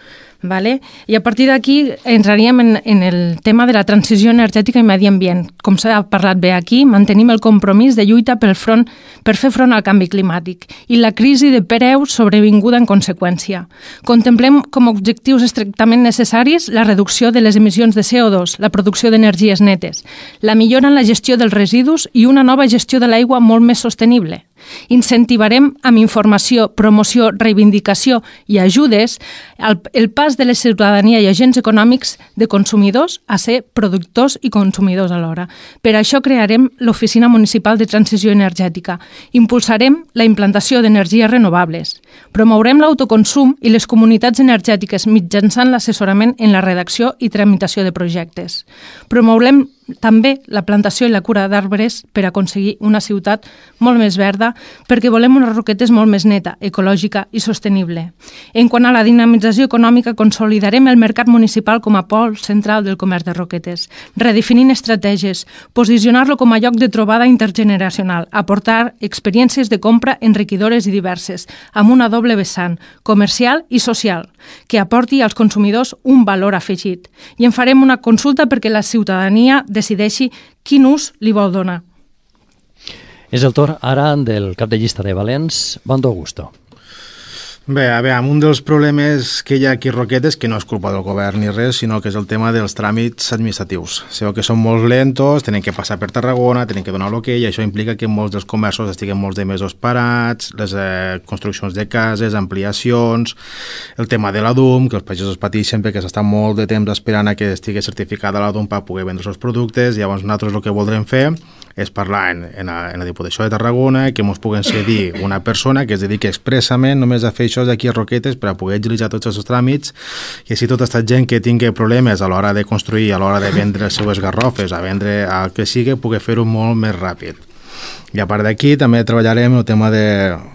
Vale? I a partir d'aquí entraríem en, en el tema de la transició energètica i medi ambient. Com s'ha parlat bé aquí, mantenim el compromís de lluita pel front, per fer front al canvi climàtic i la crisi de preus sobrevinguda en conseqüència. Contemplem com a objectius estrictament necessaris la reducció de les emissions de C O dos, la producció d'energies netes, la millora en la gestió dels residus i una nova gestió de l'aigua molt més sostenible. Incentivarem amb informació, promoció, reivindicació i ajudes el, el pas de la ciutadania i agents econòmics de consumidors a ser productors i consumidors alhora. Per això crearem l'Oficina Municipal de Transició Energètica. Impulsarem la implantació d'energies renovables. Promourem l'autoconsum i les comunitats energètiques mitjançant l'assessorament en la redacció i tramitació de projectes. Promourem també la plantació i la cura d'arbres per aconseguir una ciutat molt més verda, perquè volem unes Roquetes molt més neta, ecològica i sostenible. En quant a la dinamització econòmica, consolidarem el mercat municipal com a pol central del comerç de Roquetes, redefinint estratègies, posicionar-lo com a lloc de trobada intergeneracional, aportar experiències de compra enriquidores i diverses, amb una doble vessant, comercial i social, que aporti als consumidors un valor afegit. I en farem una consulta perquè la ciutadania decideixi quin ús li vol donar. És el torn ara del cap de llista de Valens, Bando Augusto. Bé, a veure, un dels problemes que hi ha aquí a Roquetes, que no és culpa del govern ni res, sinó que és el tema dels tràmits administratius. Sabeu que són molt lentos, tenen que passar per Tarragona, tenen que donar l'hoquei, i això implica que molts dels comerços estiguen molts de mesos parats, les eh, construccions de cases, ampliacions, el tema de la D U M, que els pagesos pateixen perquè s'estan molt de temps esperant a que estigui certificada la D U M per poder vendre els seus productes. Llavors nosaltres el que voldrem fer és parlar en, en, la, en la Diputació de Tarragona, que ens puguen cedir una persona que es dediqui expressament només a fer això aquí a Roquetes per a poder agilitzar tots els tràmits, i així tota aquesta gent que tingui problemes a l'hora de construir, a l'hora de vendre les seues garrofes, a vendre el que sigui, pugui fer-ho molt més ràpid. I a part d'aquí també treballarem el tema de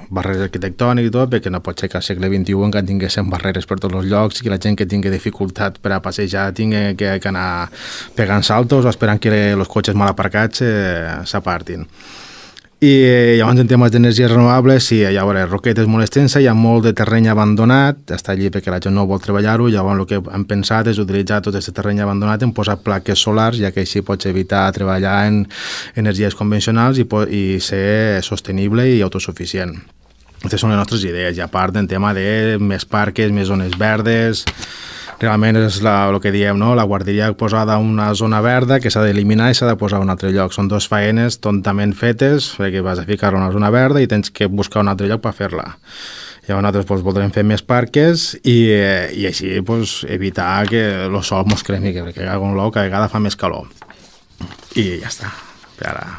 barreres arquitectòniques i tot, perquè no pot ser que al segle vint-i-u encara tinguéssim barreres per tots els llocs i que la gent que tingui dificultat per a passejar tingui que, que anar pegant saltos o esperant que els cotxes mal aparcats eh, s'apartin. I llavors en temes d'energies renovables, sí, ja veuré, Roquetes és molt extensa, hi ha molt de terreny abandonat, està allí perquè la gent no vol treballar-ho, llavors el que hem pensat és utilitzar tot aquest terreny abandonat en posar plaques solars, ja que així pots evitar treballar en energies convencionals i, i ser sostenible i autosuficient. Aquestes són les nostres idees, i a part en tema de més parques, més zones verdes. Realment és la, el que diem, no? La guarderia posada en una zona verda que s'ha d'eliminar i s'ha de posar a un altre lloc. Són dues faenes tontament fetes, perquè vas a ficar una zona verda i tens que buscar un altre lloc per fer-la. Llavors nosaltres doncs, voldrem fer més parques i, i així doncs, evitar que el sol mos cremi, perquè cada vegada fa més calor. I ja està. Per ara...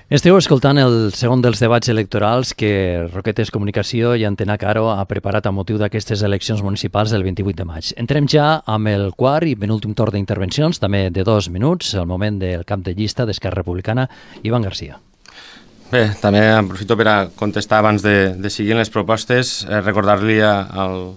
Esteu escoltant el segon dels debats electorals que Roquetes Comunicació i Antena Caro ha preparat a motiu d'aquestes eleccions municipals del vint-i-vuit de maig. Entrem ja amb el quart i penúltim torn d'intervencions, també de dos minuts, el moment del cap de llista d'Esquerra Republicana, Ivan Garcia. Bé, també aprofito per a contestar abans de, de seguir les propostes, eh, recordar-li al,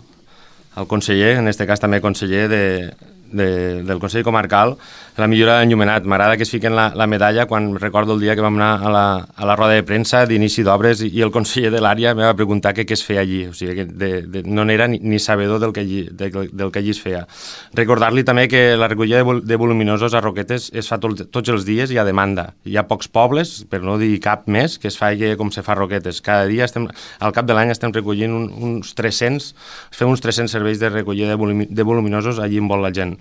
al conseller, en aquest cas també conseller de, de, del Consell Comarcal, la millora d'enllumenat. M'agrada que es fiquen la, la medalla quan recordo el dia que vam anar a la, a la roda de premsa d'inici d'obres i, i el conseller de l'àrea em va preguntar què, què es feia allí. O sigui, que de, de, no n'era ni, ni sabedor del que, allí, de, del que allí es feia. Recordar-li també que la recollida de, vol, de voluminosos a Roquetes es fa tot, tots els dies i a demanda. Hi ha pocs pobles, per no dir cap més, que es faci com se fa a Roquetes. Cada dia, estem, al cap de l'any, estem recollint un, uns tres-cents, fem uns tres-cents serveis de recollida de, volumi, de voluminosos allí on vol la gent.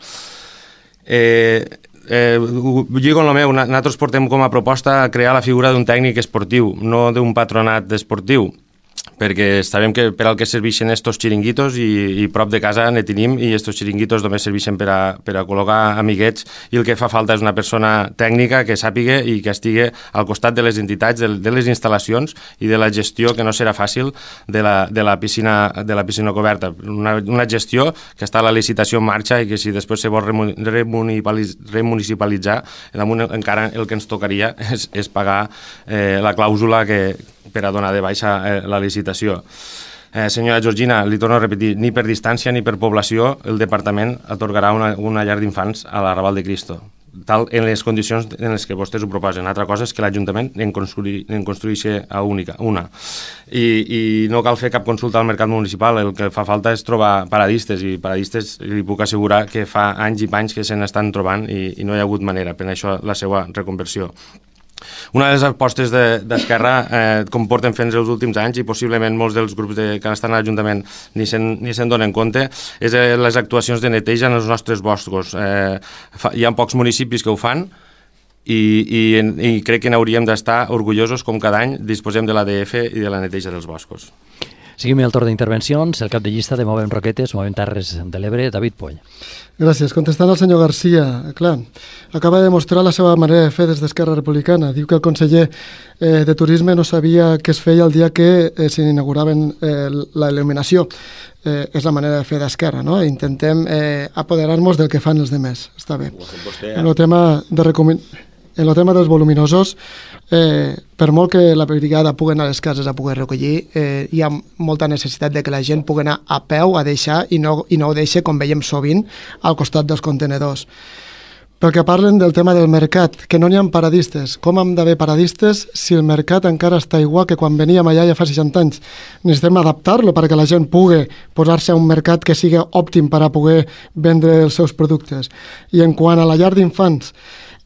Eh, eh, lligo en el meu, nosaltres portem com a proposta crear la figura d'un tècnic esportiu, no d'un patronat esportiu, perquè sabem que per al que serveixen estos xiringuitos i, i prop de casa ne tenim i estos xiringuitos només serveixen per a, per a col·locar amiguets i el que fa falta és una persona tècnica que sàpiga i que estigui al costat de les entitats, de, de les instal·lacions i de la gestió, que no serà fàcil, de la, de la, piscina, de la piscina coberta. Una, una gestió que està a la licitació en marxa i que si després se vol remunicipalitzar, encara el que ens tocaria és, és pagar eh, la clàusula que per a donar de baixa eh, la licitació. Eh, senyora Georgina, li torno a repetir, ni per distància ni per població el departament atorgarà una, una llar d'infants a la Raval de Cristo, tal en les condicions en les que vostès ho proposen. Altra cosa és que l'Ajuntament en, construir, en construeixi a única, una. I, I no cal fer cap consulta al mercat municipal, el que fa falta és trobar paradistes, i paradistes li puc assegurar que fa anys i panys que se n'estan trobant i, i no hi ha hagut manera, per això la seva reconversió. Una de les apostes d'Esquerra, eh, com porten fent els últims anys i possiblement molts dels grups de, que estan a l'Ajuntament ni se'n ni se'n donen compte, és eh, les actuacions de neteja en els nostres boscos. Eh, fa, hi ha pocs municipis que ho fan i, i, i crec que n'hauríem d'estar orgullosos com cada any disposem de l'A D F i de la neteja dels boscos. Seguim el torn d'intervencions, el cap de llista de Movem Roquetes, Movem Terres de l'Ebre, David Poll. Gràcies. Contestant al senyor Garcia, clar, acaba de demostrar la seva manera de fer des d'Esquerra Republicana. Diu que el conseller eh, de Turisme no sabia què es feia el dia que eh, s'inauguraven eh, la il·luminació. Eh, és la manera de fer d'Esquerra, no? Intentem eh, apoderar-nos del que fan els demés. Està bé. En el tema de recomen... En el tema dels voluminosos, eh, per molt que la brigada pugui anar a les cases a poder recollir, eh, hi ha molta necessitat de que la gent pugui anar a peu a deixar i no, i no ho deixi, com veiem sovint, al costat dels contenedors. Perquè parlen del tema del mercat, que no n'hi ha paradistes. Com hem d'haver paradistes si el mercat encara està igual que quan veníem allà ja fa seixanta anys? Necessitem adaptar-lo perquè la gent pugui posar-se a un mercat que sigui òptim per a poder vendre els seus productes. I en quant a la llar d'infants,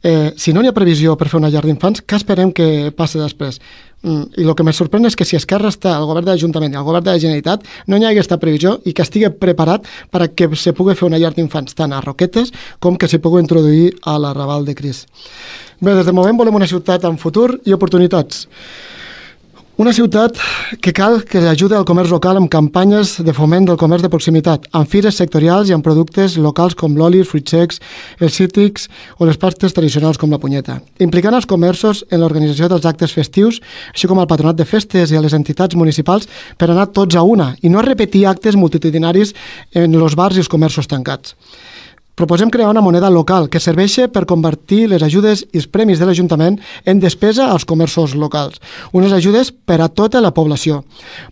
Eh, si no hi ha previsió per fer una llar d'infants, què esperem que passi després? Mm, I el que me sorprèn és que si Esquerra està al govern de l'Ajuntament i al govern de la Generalitat no hi hagi aquesta previsió i que estigui preparat per a que se pugui fer una llar d'infants tant a Roquetes com que s'hi pugui introduir a la Raval de Cris. Bé, des de moment volem una ciutat amb futur i oportunitats. Una ciutat que cal que ajudi al comerç local amb campanyes de foment del comerç de proximitat, amb fires sectorials i amb productes locals com l'oli, els fruits secs, els cítrics o les pastes tradicionals com la punyeta. Implicant els comerços en l'organització dels actes festius, així com al patronat de festes i a les entitats municipals per anar tots a una i no repetir actes multitudinaris en els bars i els comerços tancats. Proposem crear una moneda local que serveixi per convertir les ajudes i els premis de l'Ajuntament en despesa als comerços locals. Unes ajudes per a tota la població.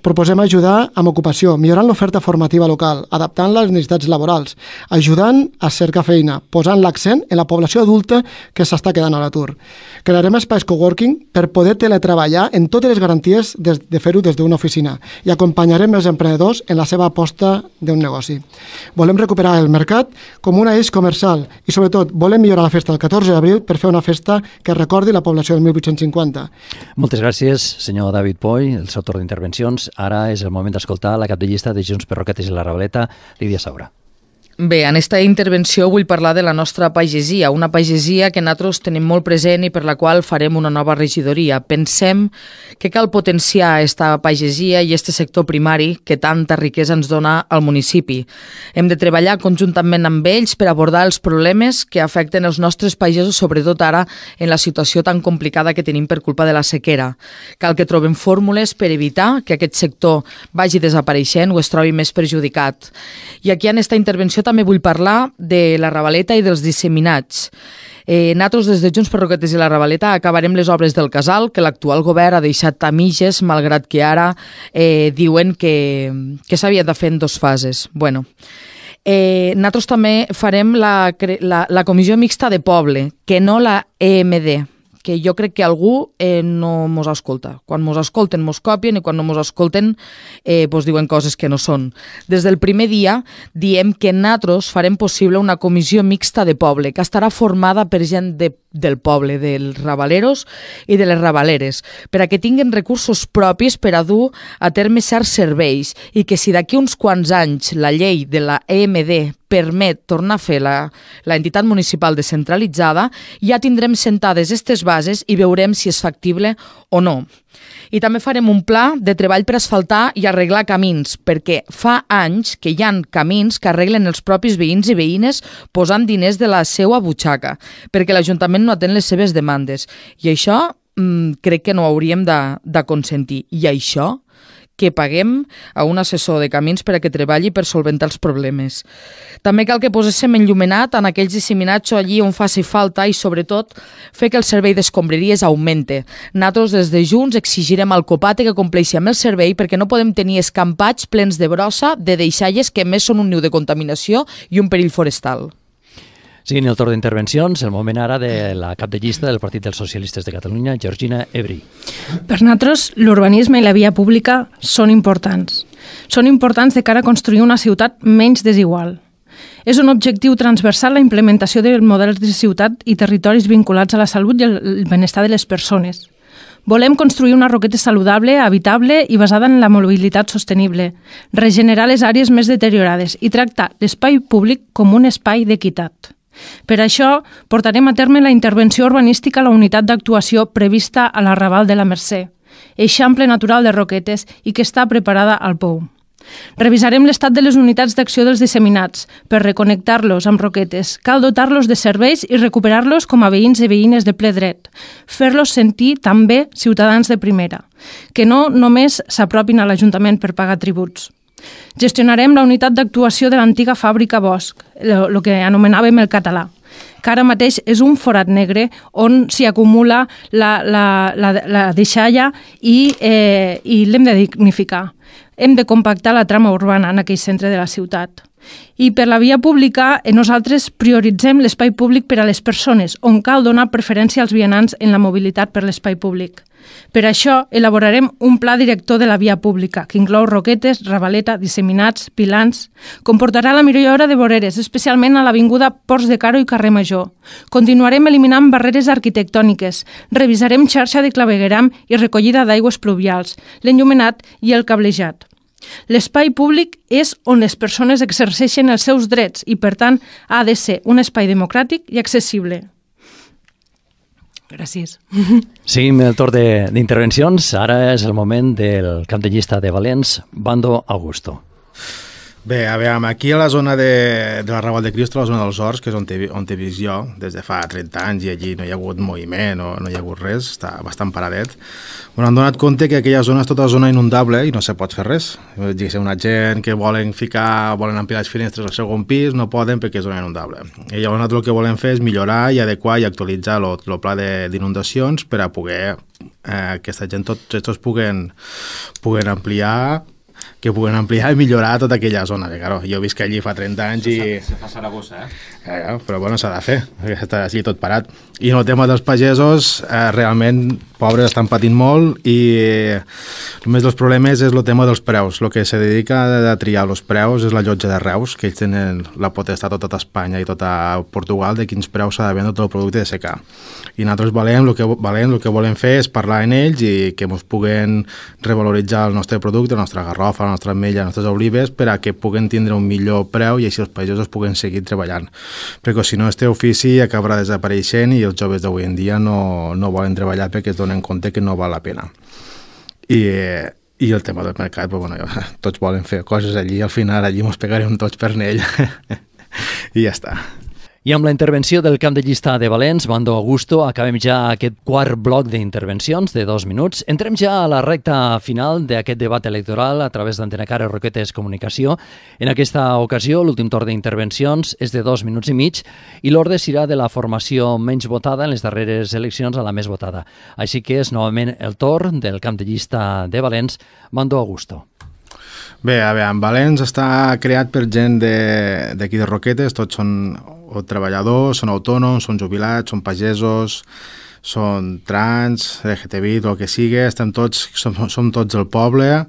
Proposem ajudar amb ocupació, millorant l'oferta formativa local, adaptant-la a les necessitats laborals, ajudant a cercar feina, posant l'accent en la població adulta que s'està quedant a l'atur. Crearem espais coworking per poder teletreballar en totes les garanties de, de fer-ho des d'una oficina i acompanyarem els emprenedors en la seva aposta d'un negoci. Volem recuperar el mercat com una eix comercial i, sobretot, volem millorar la festa del catorze d'abril per fer una festa que recordi la població del mil vuit-cents cinquanta. Moltes gràcies, senyor David Poy, el seu torn d'intervencions. Ara és el moment d'escoltar la cap de llista de Junts per Roquetes i la Ravaleta, Lídia Saura. Bé, en aquesta intervenció vull parlar de la nostra pagesia, una pagesia que nosaltres tenim molt present i per la qual farem una nova regidoria. Pensem que cal potenciar aquesta pagesia i aquest sector primari que tanta riquesa ens dona al municipi. Hem de treballar conjuntament amb ells per abordar els problemes que afecten els nostres pagesos, sobretot ara en la situació tan complicada que tenim per culpa de la sequera. Cal que trobem fórmules per evitar que aquest sector vagi desapareixent o es trobi més perjudicat. I aquí en aquesta intervenció també vull parlar de la Ravaleta i dels disseminats. Eh, nosaltres des de Junts per Roquetes i la Ravaleta acabarem les obres del casal que l'actual govern ha deixat a mitges, malgrat que ara eh, diuen que, que s'havia de fer en dues fases. Bueno, eh, nosaltres també farem la, la, la comissió mixta de poble, que no la E M D, que jo crec que algú eh, no mos escolta. Quan mos escolten mos copien i quan no mos escolten eh, pues diuen coses que no són. Des del primer dia diem que nosaltres farem possible una comissió mixta de poble que estarà formada per gent de, del poble, dels ravaleros i de les ravaleres, per a que tinguin recursos propis per a dur a terme certs serveis i que si d'aquí uns quants anys la llei de la E M D permet tornar a fer la, la entitat municipal descentralitzada, ja tindrem sentades aquestes bases i veurem si és factible o no. I també farem un pla de treball per asfaltar i arreglar camins, perquè fa anys que hi ha camins que arreglen els propis veïns i veïnes posant diners de la seva butxaca, perquè l'Ajuntament no atén les seves demandes. I això mmm, crec que no hauríem de, de consentir. I això que paguem a un assessor de camins per a que treballi per solventar els problemes. També cal que poséssim enllumenat en aquells disseminats allí on faci falta i, sobretot, fer que el servei d'escombraries augmente. Nosaltres, des de Junts, exigirem al Copate que compleixi amb el servei perquè no podem tenir escampats plens de brossa de deixalles que més són un niu de contaminació i un perill forestal. Siguin el torn d'intervencions, el moment ara de la cap de llista del Partit dels Socialistes de Catalunya, Georgina Ebri. Per nosaltres, l'urbanisme i la via pública són importants. Són importants de cara a construir una ciutat menys desigual. És un objectiu transversal la implementació de models de ciutat i territoris vinculats a la salut i el benestar de les persones. Volem construir una Roqueta saludable, habitable i basada en la mobilitat sostenible, regenerar les àrees més deteriorades i tractar l'espai públic com un espai d'equitat. Per això, portarem a terme la intervenció urbanística a la unitat d'actuació prevista a la Raval de la Mercè, eixample natural de Roquetes i que està preparada al Pou. Revisarem l'estat de les unitats d'acció dels disseminats per reconnectar-los amb Roquetes. Cal dotar-los de serveis i recuperar-los com a veïns i veïnes de ple dret. Fer-los sentir també ciutadans de primera, que no només s'apropin a l'Ajuntament per pagar tributs. Gestionarem la unitat d'actuació de l'antiga fàbrica Bosch, el que anomenàvem el català, que ara mateix és un forat negre on s'hi acumula la, la, la, la deixalla i, eh, i l'hem de dignificar. Hem de compactar la trama urbana en aquell centre de la ciutat. I per la via pública, nosaltres prioritzem l'espai públic per a les persones, on cal donar preferència als vianants en la mobilitat per l'espai públic. Per això, elaborarem un pla director de la via pública, que inclou Roquetes, Ravaleta, Disseminats, Pilans. Comportarà la millora de voreres, especialment a l'avinguda Ports de Caro i Carrer Major. Continuarem eliminant barreres arquitectòniques, revisarem xarxa de clavegueram i recollida d'aigües pluvials, l'enllumenat i el cablejat. L'espai públic és on les persones exerceixen els seus drets i, per tant, ha de ser un espai democràtic i accessible. Gràcies. Seguim el torn d'intervencions. Ara és el moment del cap de llista de Valens, Bando Augusto. Bé, a veure, aquí a la zona de, de la Raval de Cristo, a la zona dels Horts, que és on he, on he vist jo des de fa trenta anys, i allí no hi ha hagut moviment, no, no hi ha hagut res, està bastant paradet. Bueno, han donat compte que aquella zona és tota zona inundable i no se pot fer res. Diguéssim, una gent que volen ficar, volen ampliar les finestres al segon pis, no poden perquè és zona inundable. I llavors nosaltres el que volem fer és millorar i adequar i actualitzar el pla d'inundacions per a poder eh, aquesta gent, tots aquests puguen, puguen ampliar que puguen ampliar i millorar tota aquella zona. Que, claro, jo visc allí fa trenta anys i... Se fa Saragossa, eh? eh però bueno, s'ha de fer, perquè està allí tot parat. I en el tema dels pagesos, eh, realment, pobres, estan patint molt i eh, només dels problemes és el tema dels preus. El que se dedica a triar els preus és la llotja de Reus, que ells tenen la potestat a tota Espanya i tota Portugal de quins preus s'ha de vendre tot el producte de secà. I nosaltres valem, el que, valem, el que volem fer és parlar amb ells i que ens puguen revaloritzar el nostre producte, la nostra garrofa, la nostra ametlla, les nostres olives, per a que puguen tindre un millor preu i així els pagesos puguen seguir treballant. Perquè si no, este ofici acabarà desapareixent i els joves d'avui en dia no, no volen treballar perquè es donen compte que no val la pena. I, i el tema del mercat, pues, bueno, tots volen fer coses allí, al final allí ens pegarem tots per ell i ja està. I amb la intervenció del cap de llista de Valens, Bando Augusto, acabem ja aquest quart bloc d'intervencions de dos minuts. Entrem ja a la recta final d'aquest debat electoral a través d'Antena Caro Roquetes Comunicació. En aquesta ocasió, l'últim torn d'intervencions és de dos minuts i mig i l'ordre serà de la formació menys votada en les darreres eleccions a la més votada. Així que és novament el torn del cap de llista de Valens, Bando Augusto. Bé, a veure, en Valens està creat per gent d'aquí de, de Roquetes, tots són o treballadors, són autònoms, són jubilats, són pagesos, són trans, L G T B I, el que sigui, estem tots, som, som tots el poble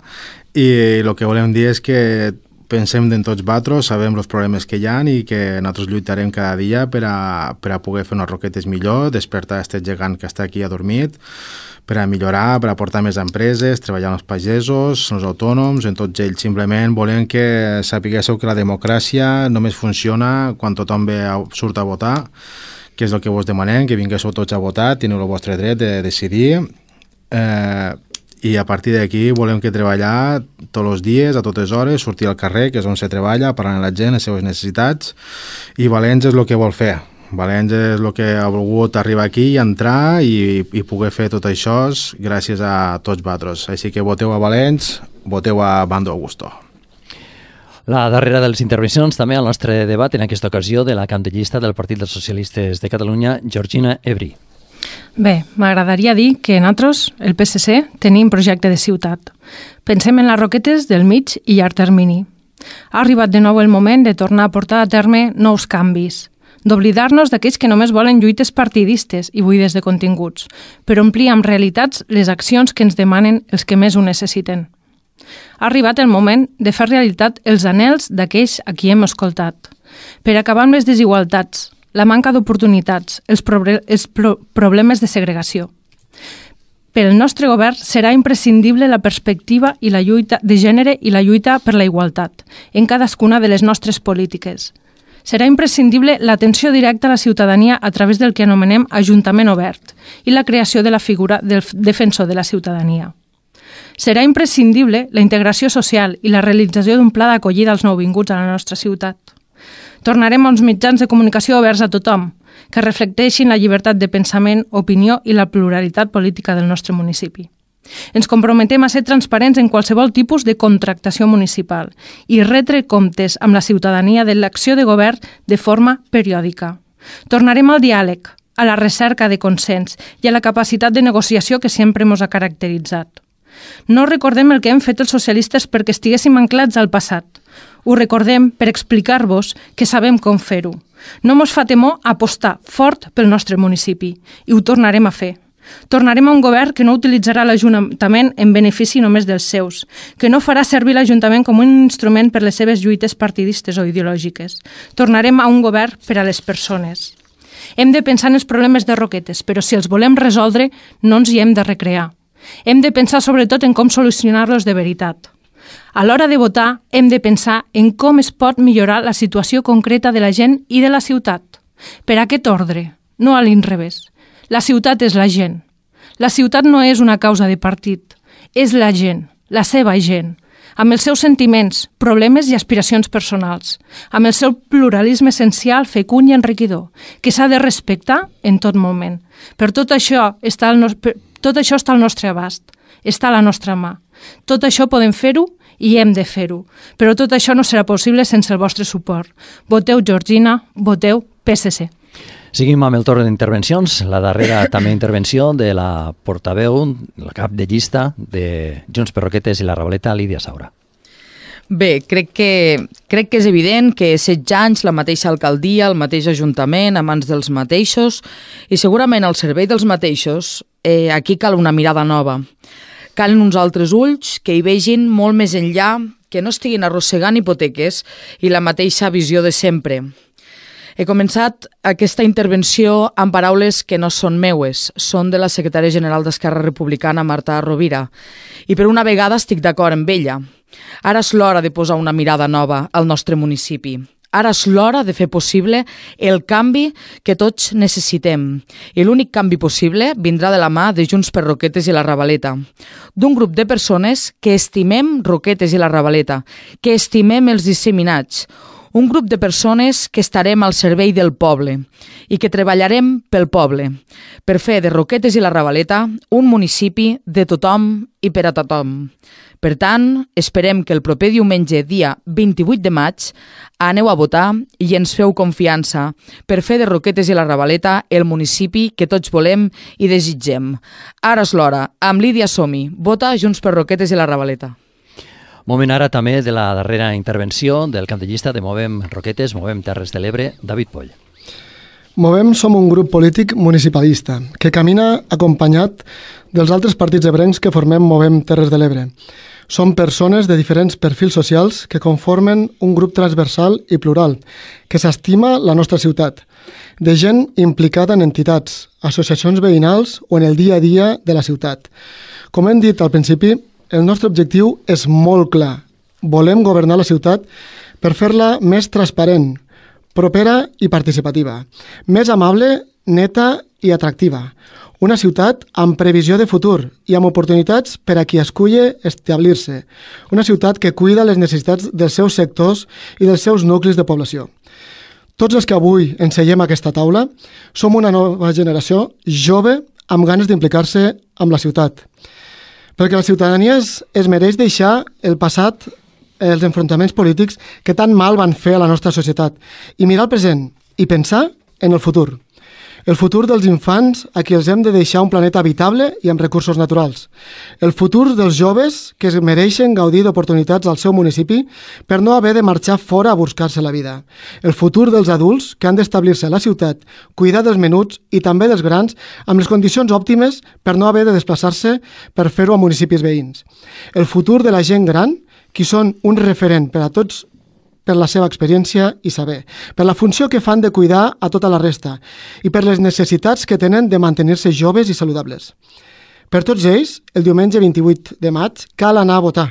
i el que volem dir és que pensem en tots vosaltres, sabem els problemes que hi ha i que nosaltres lluitarem cada dia per a, per a poder fer unes Roquetes millor, despertar aquest gegant que està aquí adormit, per a millorar, per a portar més empreses, treballar amb els pagesos, els autònoms, en tots ells. Simplement volem que sapiguéssiu que la democràcia només funciona quan tothom ve a, surt a votar, que és el que vos demanem, que vinguéssiu tots a votar, teniu el vostre dret de decidir, eh, i a partir d'aquí volem que treballar tots els dies, a totes hores, sortir al carrer, que és on se treballa, parlant amb la gent, les seves necessitats, i Valens és el que vol fer. Valens és el que ha volgut arribar aquí i entrar i, i poder fer tot això gràcies a tots vosaltres. Així que voteu a Valens, voteu a Bando Augusto. La darrera de les intervencions també al nostre debat en aquesta ocasió de la cap de llista del Partit dels Socialistes de Catalunya, Georgina Ebri. Bé, m'agradaria dir que nosaltres, el P S C, tenim projecte de ciutat. Pensem en les Roquetes del mig i llarg termini. Ha arribat de nou el moment de tornar a portar a terme nous canvis, d'oblidar-nos d'aquells que només volen lluites partidistes i buides de continguts, per omplir amb realitats les accions que ens demanen els que més ho necessiten. Ha arribat el moment de fer realitat els anhels d'aquells a qui hem escoltat, per acabar amb les desigualtats, la manca d'oportunitats, els, proble els pro problemes de segregació. Pel nostre govern serà imprescindible la perspectiva i la lluita de gènere i la lluita per la igualtat en cadascuna de les nostres polítiques. Serà imprescindible l'atenció directa a la ciutadania a través del que anomenem Ajuntament Obert i la creació de la figura del defensor de la ciutadania. Serà imprescindible la integració social i la realització d'un pla d'acollida als nouvinguts a la nostra ciutat. Tornarem a uns mitjans de comunicació oberts a tothom, que reflecteixin la llibertat de pensament, opinió i la pluralitat política del nostre municipi. Ens comprometem a ser transparents en qualsevol tipus de contractació municipal i retre comptes amb la ciutadania de l'acció de govern de forma periòdica. Tornarem al diàleg, a la recerca de consens i a la capacitat de negociació que sempre ens ha caracteritzat. No recordem el que hem fet els socialistes perquè estiguéssim anclats al passat. Ho recordem per explicar-vos que sabem com fer-ho. No mos fa temor apostar fort pel nostre municipi i ho tornarem a fer. Tornarem a un govern que no utilitzarà l'Ajuntament en benefici només dels seus, que no farà servir l'Ajuntament com un instrument per les seves lluites partidistes o ideològiques. Tornarem a un govern per a les persones. Hem de pensar en els problemes de Roquetes, però si els volem resoldre, no ens hi hem de recrear. Hem de pensar sobretot en com solucionar-los de veritat. A l'hora de votar, hem de pensar en com es pot millorar la situació concreta de la gent i de la ciutat. Per aquest ordre, no a l'inrevés. La ciutat és la gent. La ciutat no és una causa de partit. És la gent, la seva gent, amb els seus sentiments, problemes i aspiracions personals, amb el seu pluralisme essencial, fecund i enriquidor, que s'ha de respectar en tot moment. Per tot això està el no... tot això està al nostre abast, està a la nostra mà. Tot això podem fer-ho i hem de fer-ho, però tot això no serà possible sense el vostre suport. Voteu Georgina, voteu P S C. Seguim amb el torn d'intervencions. La darrera també intervenció de la portaveu, la cap de llista de Junts per Roquetes i la Ravaleta, Lídia Saura. Bé, crec que, crec que és evident que setze anys, la mateixa alcaldia, el mateix ajuntament, a mans dels mateixos, i segurament al servei dels mateixos, eh, aquí cal una mirada nova. Calen uns altres ulls que hi vegin molt més enllà, que no estiguin arrossegant hipoteques i la mateixa visió de sempre. He començat aquesta intervenció amb paraules que no són meues, són de la secretària general d'Esquerra Republicana, Marta Rovira, i per una vegada estic d'acord amb ella. Ara és l'hora de posar una mirada nova al nostre municipi. Ara és l'hora de fer possible el canvi que tots necessitem. I l'únic canvi possible vindrà de la mà de Junts per Roquetes i la Ravaleta. D'un grup de persones que estimem Roquetes i la Ravaleta, que estimem els disseminats. Un grup de persones que estarem al servei del poble i que treballarem pel poble, per fer de Roquetes i la Ravaleta un municipi de tothom i per a tothom. Per tant, esperem que el proper diumenge, dia vint-i-vuit de maig, aneu a votar i ens feu confiança per fer de Roquetes i la Ravaleta el municipi que tots volem i desitgem. Ara és l'hora. Amb Lídia Som-hi. Vota Junts per Roquetes i la Ravaleta. Moment ara també de la darrera intervenció del cap de llista de Movem Roquetes, Movem Terres de l'Ebre, David Poll. Movem som un grup polític municipalista que camina acompanyat dels altres partits ebrencs que formem Movem Terres de l'Ebre. Som persones de diferents perfils socials que conformen un grup transversal i plural, que s'estima la nostra ciutat, de gent implicada en entitats, associacions veïnals o en el dia a dia de la ciutat. Com hem dit al principi, el nostre objectiu és molt clar. Volem governar la ciutat per fer-la més transparent, propera i participativa, més amable, neta i atractiva. Una ciutat amb previsió de futur i amb oportunitats per a qui esculle establir-se. Una ciutat que cuida les necessitats dels seus sectors i dels seus nuclis de població. Tots els que avui ens seiem a aquesta taula som una nova generació jove amb ganes d'implicar-se amb la ciutat. Perquè la ciutadania es, es mereix deixar el passat, els enfrontaments polítics que tan mal van fer a la nostra societat i mirar el present i pensar en el futur. El futur dels infants a qui els hem de deixar un planeta habitable i amb recursos naturals. El futur dels joves que es mereixen gaudir d'oportunitats al seu municipi per no haver de marxar fora a buscar-se la vida. El futur dels adults que han d'establir-se a la ciutat, cuidar dels menuts i també dels grans amb les condicions òptimes per no haver de desplaçar-se per fer-ho a municipis veïns. El futur de la gent gran, qui són un referent per a tots per la seva experiència i saber, per la funció que fan de cuidar a tota la resta i per les necessitats que tenen de mantenir-se joves i saludables. Per tots ells, el diumenge vint-i-vuit de maig cal anar a votar.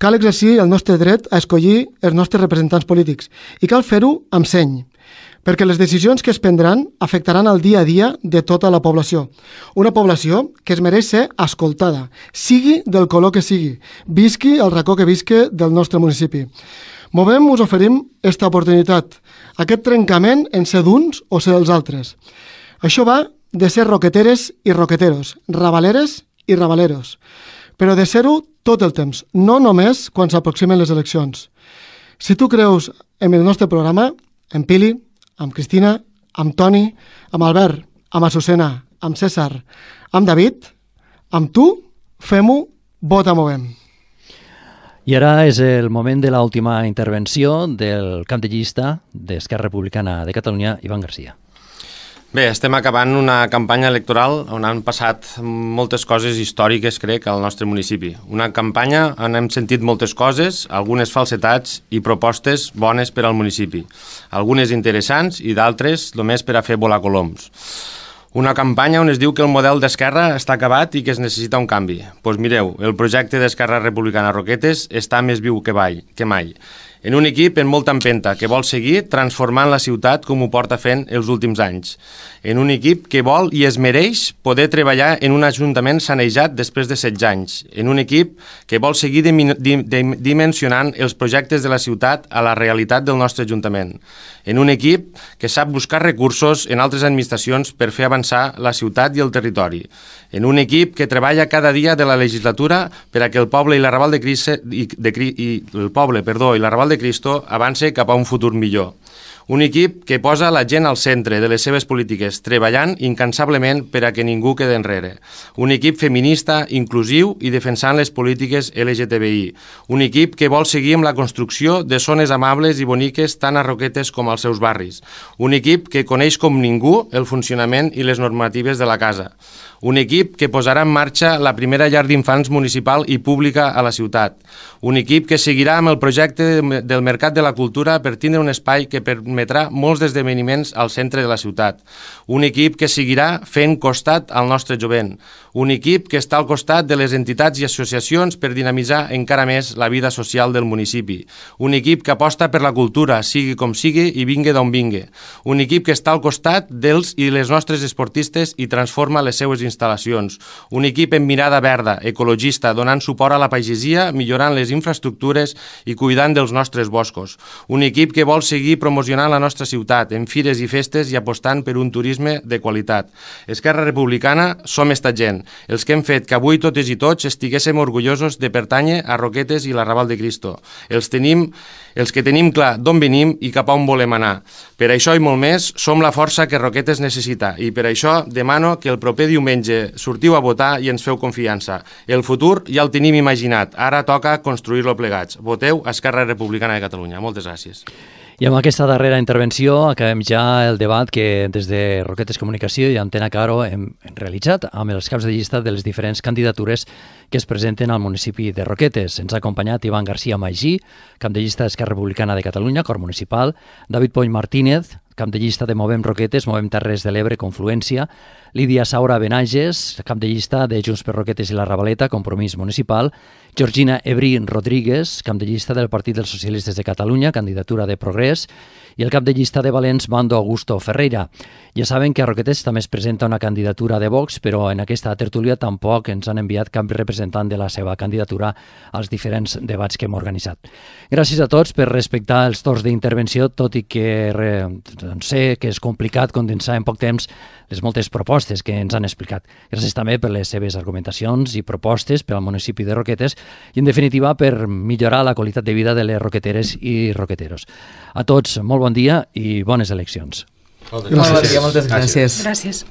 Cal exercir el nostre dret a escollir els nostres representants polítics i cal fer-ho amb seny, perquè les decisions que es prendran afectaran el dia a dia de tota la població. Una població que es mereix ser escoltada, sigui del color que sigui, visqui el racó que visqui del nostre municipi. Movem us oferim aquesta oportunitat, aquest trencament en ser d'uns o ser dels altres. Això va de ser roqueteres i roqueteros, ravaleres i ravaleros, però de ser-ho tot el temps, no només quan s'aproximen les eleccions. Si tu creus en el nostre programa, en Pili, amb Cristina, amb Toni, amb Albert, amb Azucena, amb César, amb David, amb tu, fem-ho, vota Movem. I ara és el moment de l'última intervenció del cap de llista d'Esquerra Republicana de Catalunya, Ivan Garcia. Bé, estem acabant una campanya electoral on han passat moltes coses històriques, crec, al nostre municipi. Una campanya on hem sentit moltes coses, algunes falsetats i propostes bones per al municipi. Algunes interessants i d'altres només per a fer volar coloms. Una campanya on es diu que el model d'Esquerra està acabat i que es necessita un canvi. Doncs pues mireu, el projecte d'Esquerra Republicana Roquetes està més viu que mai. Que mai. En un equip en molta empenta, que vol seguir transformant la ciutat com ho porta fent els últims anys. En un equip que vol i es mereix poder treballar en un ajuntament sanejat després de setze anys. En un equip que vol seguir dimensionant els projectes de la ciutat a la realitat del nostre ajuntament. En un equip que sap buscar recursos en altres administracions per fer avançar la ciutat i el territori. En un equip que treballa cada dia de la legislatura per a que el poble i la Raval de Cristo, i, de, i el poble, perdó, i la Raval de Cristo avance cap a un futur millor. Un equip que posa la gent al centre de les seves polítiques, treballant incansablement per a que ningú quede enrere. Un equip feminista, inclusiu i defensant les polítiques L G T B I. Un equip que vol seguir amb la construcció de zones amables i boniques tant a Roquetes com als seus barris. Un equip que coneix com ningú el funcionament i les normatives de la casa. Un equip que posarà en marxa la primera llar d'infants municipal i pública a la ciutat. Un equip que seguirà amb el projecte del Mercat de la Cultura per tindre un espai que permetrà molts esdeveniments al centre de la ciutat. Un equip que seguirà fent costat al nostre jovent. Un equip que està al costat de les entitats i associacions per dinamitzar encara més la vida social del municipi. Un equip que aposta per la cultura, sigui com sigui i vingui d'on vingui. Un equip que està al costat dels i les nostres esportistes i transforma les seues instal·lacions. Un equip amb mirada verda, ecologista, donant suport a la pagesia, millorant les infraestructures i cuidant dels nostres boscos. Un equip que vol seguir promocionant la nostra ciutat en fires i festes i apostant per un turisme de qualitat. Esquerra Republicana som esta gent, els que hem fet que avui totes i tots estiguéssim orgullosos de pertànyer a Roquetes i la Raval de Cristo. Els tenim, els que tenim clar d'on venim i cap a on volem anar. Per això i molt més, som la força que Roquetes necessita i per això demano que el proper diumenge sortiu a votar i ens feu confiança. El futur ja el tenim imaginat, ara toca construir-lo plegats. Voteu Esquerra Republicana de Catalunya. Moltes gràcies. I amb aquesta darrera intervenció acabem ja el debat que des de Roquetes Comunicació i Antena Caro hem realitzat amb els caps de llista de les diferents candidatures que es presenten al municipi de Roquetes. Ens ha acompanyat Ivan García Magí, cap de llista d'Esquerra Republicana de Catalunya, cor municipal, David Poll Martínez, cap de llista de Movem Roquetes, Movem Terres de l'Ebre, Confluència, Lídia Saura Benages, cap de llista de Junts per Roquetes i la Ravaleta, Compromís Municipal, Georgina Ebrín Rodríguez, cap de llista del Partit dels Socialistes de Catalunya, candidatura de Progrés, i el cap de llista de Valents, Mando Augusto Ferreira. Ja saben que a Roquetes també es presenta una candidatura de Vox, però en aquesta tertúlia tampoc ens han enviat cap representant de la seva candidatura als diferents debats que hem organitzat. Gràcies a tots per respectar els torns d'intervenció, tot i que doncs, sé que és complicat condensar en poc temps les moltes propostes que ens han explicat. Gràcies també per les seves argumentacions i propostes per al municipi de Roquetes i, en definitiva, per millorar la qualitat de vida de les roqueteres i roqueteros. A tots, molt bon dia i bones eleccions. Moltes gràcies. Moltes gràcies. Gràcies.